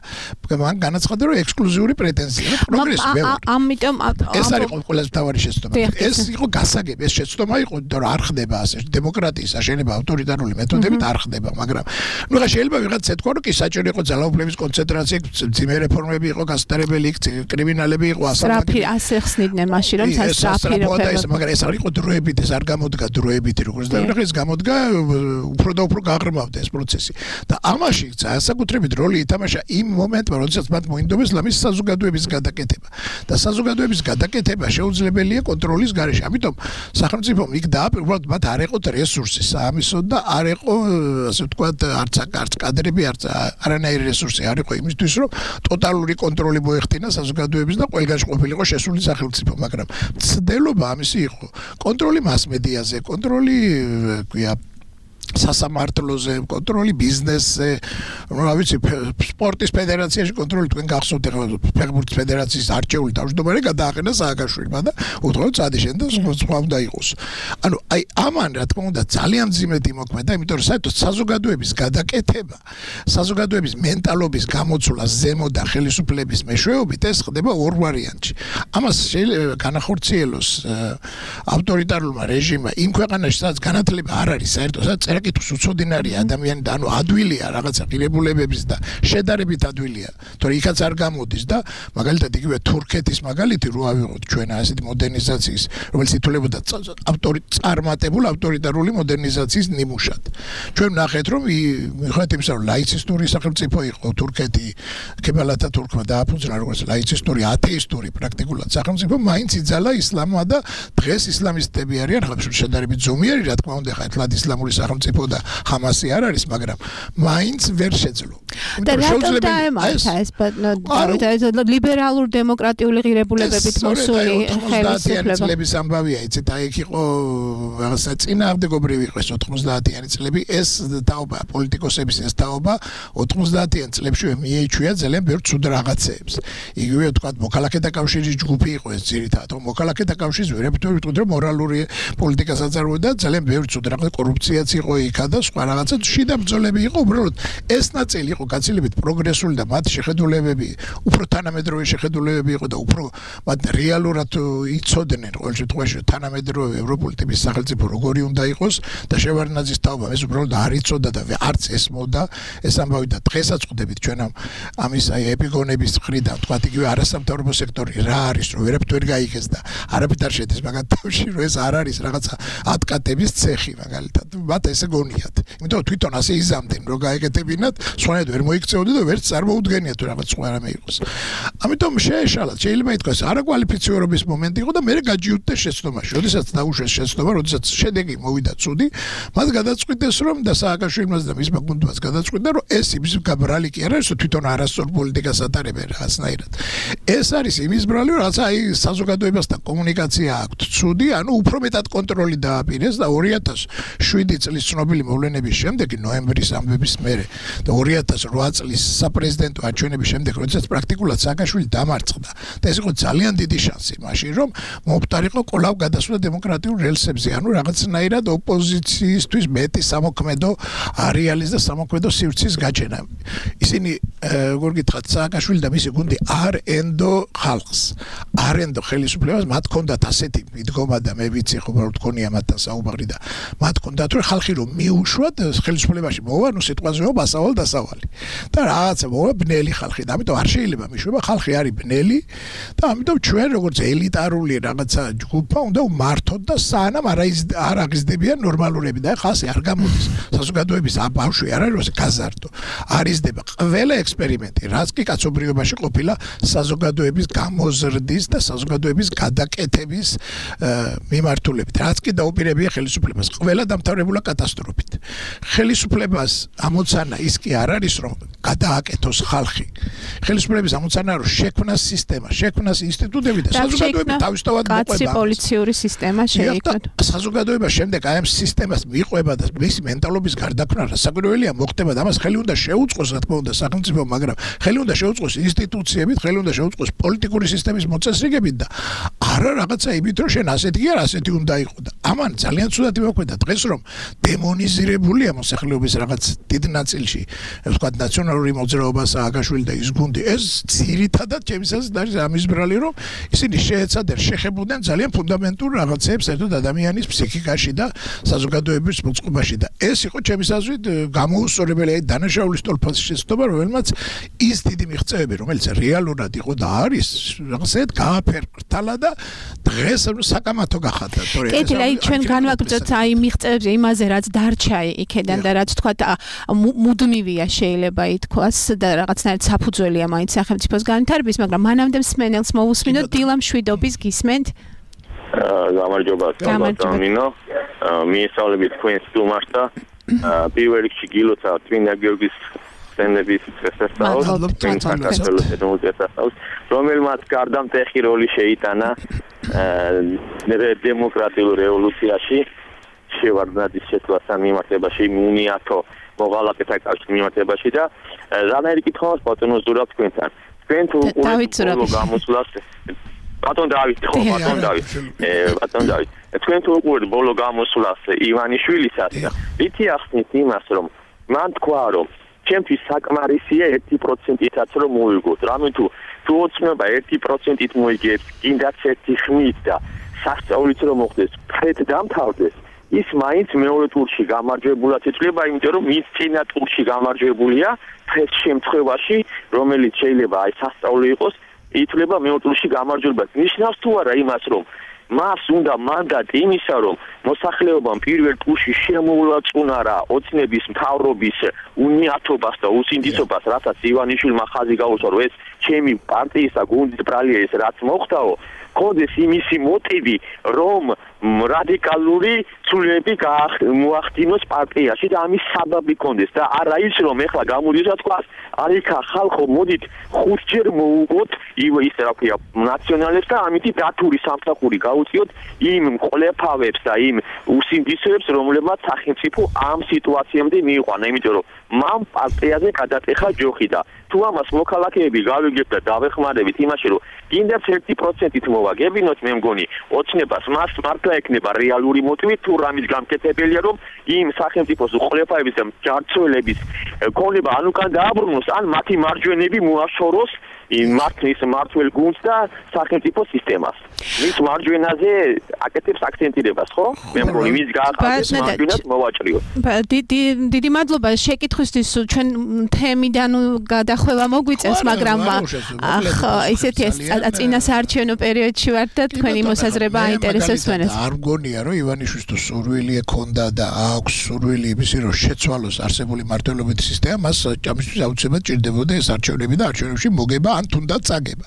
F: მან განაცხადა რომ ექსკლუზიური პრეტენზია რომ პროგრესი მე ვარ
B: ამიტომ
F: ეს არის ყველაზე მთავარი შეცდომა ეს იყო გასაგები ეს შეცდომა იყო რომ არ ხდება ასე დემოკრატიის აშენება ავტორიტარული მეთოდებით არ ხდება მაგრამ ნუ ხა შეიძლება ვიღაც ეთქვა რომ კი საჭირო იყო ძალაუფლების კონცენტრაცია ძიმე რეფორმები იყო გასტარებელი კრიმინალები იყო
B: ასე ხსნიდნენ მაშინ რომ სასტრაფი
F: მაგრამ ეს არ იყო დროებით ეს არ გამოდგა დროებით როგორც ეს გამოდგა უფრო და უფრო გაღრმავდა ეს პროცესი და ამაში საკუთრებით როლი ითამაშა იმ მომენტში როდესაც მათ მოინდომეს ლამის საზოგადოების გადაკეთება და საზოგადოების გადაკეთება შეუძლებელია კონტროლის გარეშე ამიტომ სახელმწიფომ იქ დააპირებულად მათ არ ეყოთ რესურსი საამისოდ და არ ეყო ასე ვთქვათ არც კადრები არც არანაირი რესურსი არ იყო იმისთვის რომ ტოტალური კონტროლი მოეხდინა საზოგადოების და ყველგანში ყოფილიყო შესული სახელმწიფო მაგრამ ცდელობა ამისი იყო კონტროლი მასმედიაზე კონტროლი ქვია სასამართლოზე კონტროლი, ბიზნესზე, რა ვიცი, სპორტის ფედერაციაში კონტროლი, თქვენ გახსოვთ ახლა ფეხბურთის ფედერაციის არჩეული თავმჯდომარე გადააყენა სააკაშვილმა და უთხოვთ სადიშენ და სხვა უნდა იყოს. ანუ აი ამან რა თქმა უნდა ძალიან ძიმედ იმოქმედა, იმიტომ რომ საერთოდ საზოგადოების გადაკეთება, საზოგადოების მენტალობის გამოცვლა ზემოდან ხელისუფლების მეშვეობით ეს ხდება ორ ვარიანტში. ამას შეიძლება განახორციელოს ავტორიტარულმა რეჟიმმა იმ ქვეყანაში, სადაც განათლება არ არის საერთოდ, სადაც წერა-კითხვის უცოდინარია ადამიანი და ანუ ადვილია რაღაცა ღირებულებების და შედარებით ადვილია, თორე იქაც არ გამოდის და მაგალითად იგივე თურქეთის მაგალითი რო ავიღოთ ჩვენ ასეთი მოდერნიზაციის, რომელიც ითვლებოდა წარმატებულ ავტორიტარული მოდერნიზაციის ნიმუშად. ჩვენ ვნახეთ რომ მიუხედავად იმისა რომ ლაიცისტური სახელმწიფო იყო თურქეთი, ქემალ ათათურქმა დააფუძნა როგორც ლაიცისტური ათეისტური პრაქტიკულად სახელმწიფო, მაინც იძალა ისლამმა და დღეს ისლამისტები არიან, ხლა შედარებით ზომიერი რა თქმა უნდა, ხა ეთლად ისლამური სახელმწიფო და ხამასი არ არის, მაგრამ მაინც ვერ შეძლო.
B: და რატომ დაემართა ეს ლიბერალურ დემოკრატიული ღირებულებებით მოსული ხელისუფლება?
F: წლების ამბავია, იცით, აი იქ იყო რაღაცა წინააღმდეგობრივი იყო 90-იანი წლები, ეს თაობა პოლიტიკოსების ეს თაობა 90-იან წლებშივე მიეჩვია ძალიან ბევრ ცუდ რაღაცეებს. იგივე თქვა მოქალაქეთა კავშირის ჯგუფი იყო ეს ძირითადად, მოქალაქეთა კავშირის ვერაფერ ვიტყვით რომ მორალური პოლიტიკას აწარმოებდა, ძალიან ბევრ ცუდ რაღაცა კორუფციაც იყო იქა და სხვა რაღაცა შიდა ბრძოლები იყო, უბრალოდ ეს ნაწილი იყო გაცილებით პროგრესული და მათ შეხედულებები, უფრო თანამედროვე შეხედულებები იყო და უფრო მათ რეალურად იცოდნენ ყოველ შემთხვევაში თანამედროვე ევროპული ტიპის სახელმწიფო როგორი უნდა იყოს და შევარდნაძის თაობამ ეს უბრალოდ არ იცოდა და არც ესმოდა ეს ამბავი და დღესაც ხვდებით ჩვენ ამის აი ეპიგონების მხრიდან თქვა იგივე არასამთავრობო სექტორი რა არის რომ ვერაფერ გაიგეს და არაფერ არ შედის მაგათ თავში რომ ეს არ არის რაღაცა ატკატების ცეხი მაგალითად მათ ესე გონიათ იმიტომ რომ თვითონ ასე იზამდნენ რომ გაეკეთებინათ სხვანაირად ვერ მოიქცეოდნენ და ვერც წარმოუდგენიათ თუ რაღაც სხვა რამე იყოს ამიტომ შეეშალათ შეიძლება ითქვას არაკვალიფიცირების მომენტი იყო და მე გაჯიუტდა შეცდომაში როდესაც დაუშვეს შეცდომა როდესაც შედეგი მოვიდა ცუდი მათ გადაწყვიტეს რომ და სააკაშვილიმაც და მისმა გუნდმაც გადაწყვიტა რომ ეს იმის გაბრალი კი არ არის რომ თვითონ არასწორ პოლიტიკას ატარებენ რაღაცნაირად ეს არის იმის ბრალი რომ რაღაცა აი საზოგადოებასთან კომუნიკაცია აქვთ ცუდი ანუ უფრო მეტად კონტროლი დააპირეს და 2007 წლის ცნობილი მოვლენების შემდეგ ნოემბრის ამბების მერე და 2008 წლის საპრეზიდენტო არჩევნების შემდეგ როდესაც პრაქტიკულად სააკაშვილი დამარცხდა და ეს იყო ძალიან დიდი შანსი მაშინ რომ მომხდარიყო კვლავ გადასვლა დემოკრატიულ რელსებზე ანუ რაღაცნაირად ოპოზიციისთვის მეტი სამოქმედო არეალის და სამოქმედო სივრცის გაჩენა ისინი როგორ გითხრათ სააკაშვილი და მისი გუნდი არ ენდო ხალხს არ ენდო ხელისუფლებას მათ ჰქონდათ ასეთი მიდგომა და მე ვიცი ხო უბრალოდ გქონია მათთან საუბარი და მათ ჰქონდათ რომ ხალხი რომ მიუშვათ ხელისუფლებაში მოვა ნუ სიტყვაზე ბასავალ დასავალი და რაღაცა მოვა ბნელი ხალხი და ამიტომ არ შეიძლება მიშვება ხალხი არის ბნელი და ამიტომ ჩვენ როგორც ელიტარული რაღაცა ჯგუფა უნდა ვმართოთ და სანამ არ აღიზრდებიან ნორმალურები და ხალხი არ გამოდის საზოგადოების ბავშვი არ არის გაზარდო არიზდება ყველა ექსპერიმენტი რაც კი კაცობრიობაში ყოფილა საზოგადოების გამოზრდის და საზოგადოების გადაკეთების მიმართულებით რაც კი დაუპირებია ხელისუფლებას ყველა დამთავრებულა კატასტროფით ხელისუფლებას ამოცანა ის კი არ არის რომ გადააკეთოს ხალხი ხელისუფლების ამოცანა რომ შექმნას სისტემა შექმნას ინსტიტუტები და საზოგადოება თავისთავად მოყვება
B: პოლიციური სისტემა შეიქმნა
F: საზოგადოება შემდეგ აი ამ სისტემას მიყვება და მისი მენტალობის გარდაქმნა რასაკვირველია მოხდება და ამას ხელი უნდა შეუწყოს რა თქმა უნდა სახელმწიფო მაგრამ ხელი უნდა შეუწყოს ინსტიტუციებით ხელი უნდა შეუწყოს პოლიტიკური სისტემის მოწესრიგებით და არა რაღაცა იმით რომ შენ ასეთი კი არ ასეთი უნდა იყო და ამან ძალიან ცუდად იმოქმედა დღეს რომ დემონიზირებულია მოსახლეობის რაღაც დიდ ნაწილში ვთქვათ ნაციონალური მოძრაობა სააკაშვილი და ის გუნდი ეს ძირითადად ჩემისას არის ამის ბრალი რომ ისინი შეეცადნენ შეხებოდნენ ძალიან ფუნდამენტურ რაღაცებს საერთოდ ადამიანის ფსიქიკაში და საზოგადოების მოწყობაში და ეს იყო ჩემის აზრით გამოუსწორებელი აი დანაშაულის თვალსაზრისით შეცდომა რომელმაც ის დიდი მიღწევები რომელიც რეალურად იყო და არის რაღაცეთ გააფერყრთალა და დღეს საკამათო გახადა თორე ეს
B: აი ჩვენ განვაგრძოთ აი მიღწევებზე იმაზე რაც დარჩა იქედან და რაც თქვა მუდმივია შეიძლება ითქვას და რაღაცნაირად საფუძველია მაინც სახელმწიფოს განვითარების მაგრამ მანამდე მსმენელს მოусმინოთ დილა მშვიდობის გისმენთ
G: გამარჯობა სამბატონინო მიესალმებით თქვენს სტუმარს და პირველ რიგში გილოცავ წმინდა გიორგის სენების შესასწავლად რომელმაც გარდამტეხი როლი შეიტანა დემოკრატიულ რევოლუციაში შევარდნაძის შეცვლასთან მიმართებაში, უნიათო მოღალატეთა კავშირის მიმართებაში და რანაირი კითხავს ბატონო ზურაბ თქვენთან. თქვენ თუ ბოლო გამოსვლას ბატონ დავით, თქვენ თუ უყურებთ ბოლო გამოსვლას ივანიშვილისას, ვითი ახსნით იმას, რომ მან თქვა, რომ ჩემთვის საკმარისია 1%-იც რომ მოვიგოთ. რამე თუ ოცნება 1%-ით მოიგებს, კიდაც ერთი ხმით და სასწაულიც რომ მოხდეს, ფრედ დამთავრდეს, ის მაინც მეორე ტურში გამარჯვებულად იწლება, იმიტომ რომ ის წინა ტურში გამარჯვებულია, ფრედ შემთხვევაში, რომელიც შეიძლება აი სასწაული იყოს, ითვლება მეორე ტურში გამარჯვებულად. ნიშნავს თუ არა იმას, რომ მას უნდა მანდატი იმისა, რომ მოსახლეობამ პირველ ტურში შემოულაწუნარა ოცნების მთავრობის უნიათობას და უსინდისობას, რასაც ივანიშვილმა ხაზი გაუსვა, რომ ეს ჩემი პარტიის და გუნდის ბრალია ეს რაც მოხდაო, კონდეს იმისი მოტივი, რომ რადიკალური ცვლილებები მოახდინოს პარტიაში და ამის საბაბი კონდეს და არა ის, რომ ეხლა გამოდის რა თქვა, არიქა ხალხო მოდით 5 ჯერ მოუგოთ ის რა ქვია ნაციონალებს და ამით დათური სამსახური გაუწიოთ იმ მკვლევარებს და იმ უსინდისოებს, რომლებმაც სახელმწიფო ამ სიტუაციამდე მიიყვანა, იმიტომ რომ მან პარტიაზე გადატეხა ჯოხი და თუ ამას მოქალაქეები გავიგებთ და დავეხმარებით იმაში, რომ კიდევ 1%-ით მოვაგებინოთ, მე მგონი ოცნებას მას მართლა ექნება რეალური მოტივი, თუ რამის გამკეთებელია, რომ იმ სახელმწიფოს უყოლეფაების და ჯარცველების ქონება ან უკან დააბრუნოს, ან მათი მარჯვენები მოაშოროს მართლის მართლ გუნდს და სახელმწიფო სისტემას. მის მარჯვენაზე აკეთებს აქცენტირებას, ხო? მე მგონი მის გააყენებს მარჯვენას მოვაჭრიოთ.
B: დიდი მადლობა შეკითხვისთვის, ჩვენ თემიდან გადახვევა მოგვიწევს, მაგრამ ისეთი წინა საარჩევნო პერიოდში ვართ და თქვენი მოსაზრება აინტერესებს მენას.
F: არ მგონია, რომ ივანიშვილს თუ სურვილი ექონდა და აქვს სურვილი იმისი, რომ შეცვალოს არსებული მართლობითი სისტემა, მას ამისთვის აუცილებლად ჭირდებოდა ეს არჩევნები და არჩევნებში მოგება ან თუნდაც წაგება.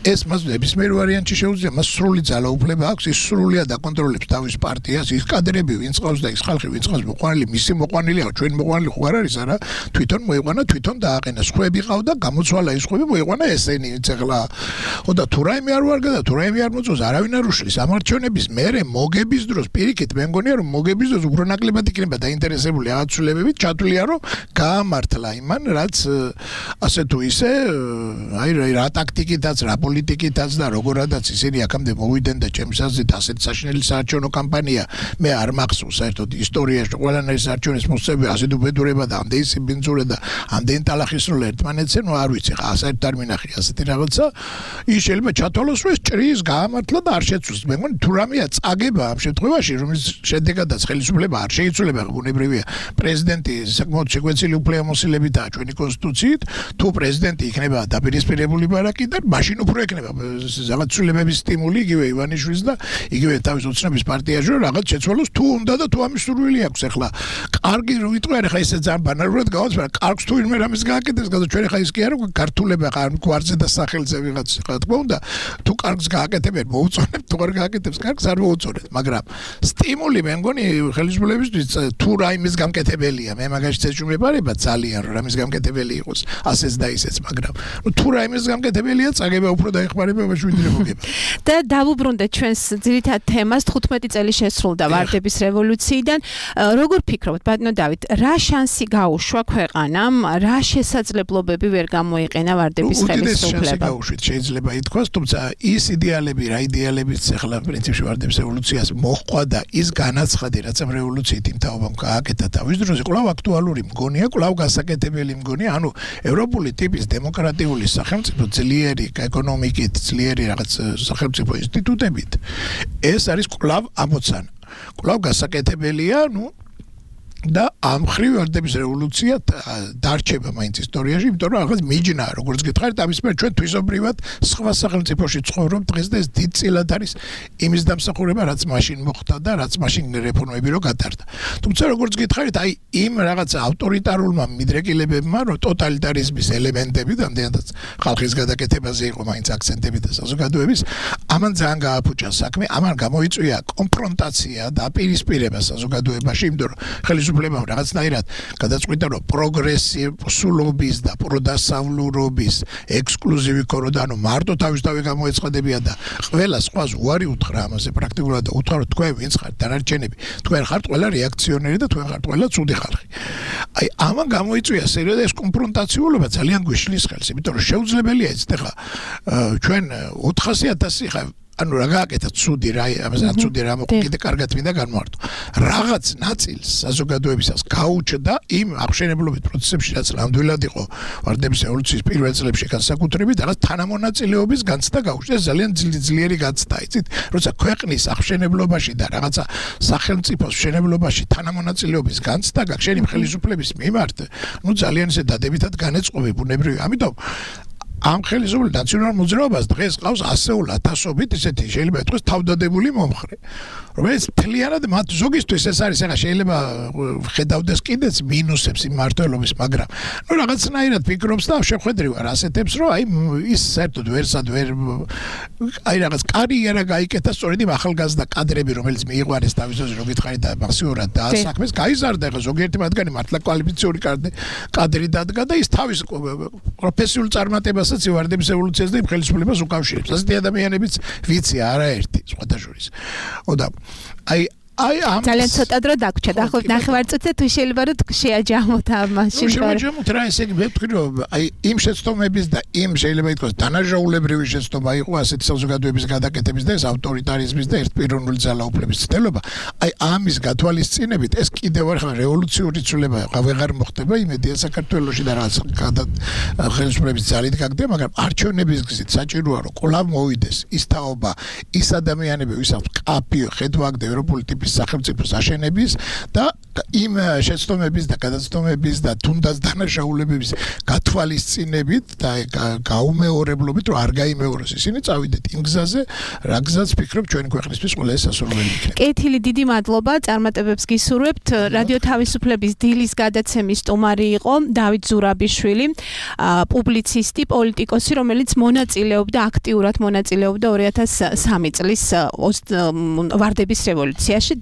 F: ეს მას ნებისმიერ ვარიანტში შეუძლია, მას სრული ძალაუფლება აქვს, ის სრულიად აკონტროლებს თავის პარტიას, ის კადრები ვინც ყავს და ის ხალხი ვინც ყავს მოყვანილი, მისი მოყვანილია, ჩვენი მოყვანილი ხო არ არის არა, თვითონ მოიყვანა, თვითონ დააყენა, სხვები ყავდა, გამოცვალა ის სხვები, მოიყვანა ესენი, ვინც ახლა ხო და თუ რაიმე არ ვარგა და თუ რაიმე არ მოწოს, არავინ არ უშლის ამარჩევნების მერე მოგების დროს, პირიქით მე მგონია რომ მოგების დროს უფრო ნაკლებად იქნება დაინტერესებული რაღაც ცვლილებებით, ჩათვლია რომ გაამართლა იმან, რაც ასე თუ ისე აი რა ტაქტიკითაც რა პოლიტიკითაც და როგორადაც ისინი აქამდე მოვიდნენ და ჩემს აზრით ასეთ საშინელი საარჩევნო კამპანია მე არ მახსოვს საერთოდ ისტორიაში ყველანაირი საარჩევნოს მოსწრება ასეთ უბედურება და ამდენი სიბინძურე და ამდენი ტალახისროლ ერთმანეთზე ნუ არ ვიცი ხა საერთოდ არ მინახი ასეთი რაღაცა ის შეიძლება ჩათვალოს რომ ეს ჭრის გაამართლა და არ შეცვლოს მე მგონი თუ რამეა წაგება ამ შემთხვევაში რომლის შედეგადაც ხელისუფლება არ შეიცვლება ბუნებრივია პრეზიდენტი საკმაოდ შეგვეცილი უფლებამოსილებითაა ჩვენი კონსტიტუციით თუ პრეზიდენტი იქნება დაპირისპირებული ბარაკიდან მაშინ უფრო ექნება რაღაც ცვლილებების სტიმული იგივე ივანიშვილის და იგივე თავის ოცნების პარტიაში რომ რაღაც შეცვალოს თუ უნდა და თუ ამის სურვილი აქვს ახლა კარგი რო ვიტყვი არა ხა ესე ძალიან ბანალურად გავაც მაგრამ კარგს თუ ვინმე რამის გააკეთებს გადა ჩვენ ხა ის კი არა ქართულება ხა გვარზე და სახელზე ვიღაც ხა თქმა უნდა თუ კარგს გააკეთებენ მოუწონებთ თუ არ გააკეთებს კარგს არ მოუწონებთ მაგრამ სტიმული მე მგონი ხელისუფლებისთვის თუ რაიმის გამკეთებელია მე მაგაში წეჭვმეპარება ძალიან რომ რამის გამკეთებელი იყოს ასეც და ისეც მაგრამ თუ რაიმის გამკეთებელია წაგება უფრო დაეხმარება ვიდრე მოგება
B: და დავუბრუნდეთ ჩვენს ძირითად თემას 15 წელი შესრულდა ვარდების რევოლუციიდან როგორ ფიქრობთ ბატონო დავით რა შანსი გაუშვა ქვეყანამ რა შესაძლებლობები ვერ გამოიყენა ვარდების ხელისუფლებამ
F: შეიძლება ითქვას თუმცა ის იდეალები რა იდეალებიც ახლა პრინციპში ვარდების რევოლუციას მოჰყვა და ის განაცხადი რაც ამ რევოლუციით იმ თაობამ გააკეთა თავის დროზე კვლავ აქტუალური მგონია კვლავ გასაკეთებელი მგონია ანუ ევროპული ტიპის დემოკრატიული სახელმწიფო ძლიერი ეკონომიკით ძლიერი რაღაც სახელმწიფო ინსტიტუტებით ეს არის კვლავ ამოცანა კვლავ გასაკეთებელია ნუ და ამ ხრივ ვარდების რევოლუცია დარჩება მაინც ისტორიაში, იმიტომ რომ ახლა მიჯნა, როგორც გითხარით, ამის მერე ჩვენ თვისობრივად სხვა სახელმწიფოში ცხოვრობ დღეს და ეს დიდწილად არის იმის დამსახურება, რაც მაშინ მოხდა და რაც მაშინ რეფორმები რო გატარდა. თუმცა როგორც გითხარით, აი იმ რაღაც ავტორიტარულმა მიდრეკილებებმა, რომ ტოტალიტარიზმის ელემენტები და ამდენადაც ხალხის გადაკეთებაზე იყო მაინც აქცენტები და საზოგადოების, ამან ძალიან გააფუჭა საქმე, ამან გამოიწვია კონფრონტაცია და პირისპირება საზოგადოებაში, იმიტომ რომ ხელისუფლებამ რაღაცნაირად გადაწყვიტა რომ პროგრესიულობის და პროდასავლურობის ექსკლუზივი კოროდა ანუ მარტო თავისთავად გამოეცხადებიან და ყველა სხვას უარი უთხრა ამაზე პრაქტიკულად და უთხრა რომ თქვენ ვინც ხართ დანარჩენები თქვენ ხართ ყველა რეაქციონერი და თქვენ ხართ ყველა ცუდი ხალხი აი ამან გამოიწვია სერიოზული კონფრონტაციულობა ძალიან გვიშლის ხელს იმიტომ რომ შეუძლებელია ეს ახლა ჩვენ 400,000 ხა ანუ რა გააკეთა ცუდი რა ამაზე ცუდი რა მოკიდე კარგად მინდა განმარტო რაღაც ნაწილს საზოგადოებისას გაუჩნდა იმ აღშენებლობით პროცესებში რაც ნამდვილად იყო ვარდების ევოლუციის პირველ წლებში განსაკუთრებით რაღაც თანამონაწილეობის განცდა გაუჩნდა ძალიან ძლიერი განცდა იცით როცა ქვეყნის აღშენებლობაში და რაღაცა სახელმწიფოს მშენებლობაში თანამონაწილეობის განცდა გაქვს შენი ხელისუფლების მიმართ ნუ ძალიან ისე დადებითად განეწყობი ბუნებრივი ამიტომ ამ ხელისუფლების ნაციონალურ მოძრაობას დღეს ყავს ასეულ ათასობით ისეთი შეიძლება ითქვას თავდადებული მომხრე რომელიც მთლიანად მათ ზოგისთვის ეს არის ახლა შეიძლება ხედავდეს კიდეც მინუსებს იმ მართლობის მაგრამ ნუ რაღაცნაირად ფიქრობს და შეხვედრი ვარ ასეთებს რომ აი ის საერთოდ ვერსად ვერ აი რაღაც კარიერა გაიკეთა სწორედ იმ ახალგაზრდა კადრები რომელიც მიიყვანეს თავისთავად რო გითხარით და მასიურად დაასაქმეს გაიზარდა ახლა ზოგიერთი მათგანი მართლა კვალიფიციური კადრი დადგა და ის თავის პროფესიულ წარმატებას ვარდების ევოლუციას და იმ ხელისუფლებას უკავშირებს. ასეთი ადამიანებიც ვიცი არაერთი სხვათა შორის. ოდა აი ამ
B: ძალიან ცოტა დრო დაგვრჩა და ხო ნახევარწუთზე თუ შეიძლება რომ შეაჯამოთ ამ მაშინ
F: შეაჯამოთ რა ესე იგი ვეთქვი რომ აი იმ შეცდომების და იმ შეიძლება ითქვას დანაჟაულებრივი შეცდომა იყო ასეთი საზოგადოების გადაკეთების და ეს ავტორიტარიზმის და ერთპიროვნული ძალაუფლების ცდელობა აი ამის გათვალისწინებით ეს კიდევ ახლა რევოლუციური ცვლილება ვეღარ მოხდება იმედია საქართველოში და რაღაც ხელისუფლების ძალით გაგდება მაგრამ არჩევნების გზით საჭიროა რომ კვლავ მოვიდეს ის თაობა ის ადამიანები ვისაც კაფიო ხედვაგდე ევროპული სახელმწიფოს აშენების და იმ შეცდომების და გადაცდომების და თუნდაც დანაშაულებების გათვალისწინებით და გაუმეორებლობით რომ არ გაიმეოროს ისინი წავიდეთ იმ გზაზე რა გზაც ფიქრობ ჩვენი ქვეყნისთვის ყველა სასურველი იქნება.
B: კეთილი დიდი მადლობა წარმატებებს გისურვებთ რადიო თავისუფლების დილის გადაცემის სტუმარი იყო დავით ზურაბიშვილი პუბლიცისტი პოლიტიკოსი რომელიც მონაწილეობდა აქტიურად მონაწილეობდა 2003 წლის ვარდების რევოლუციაში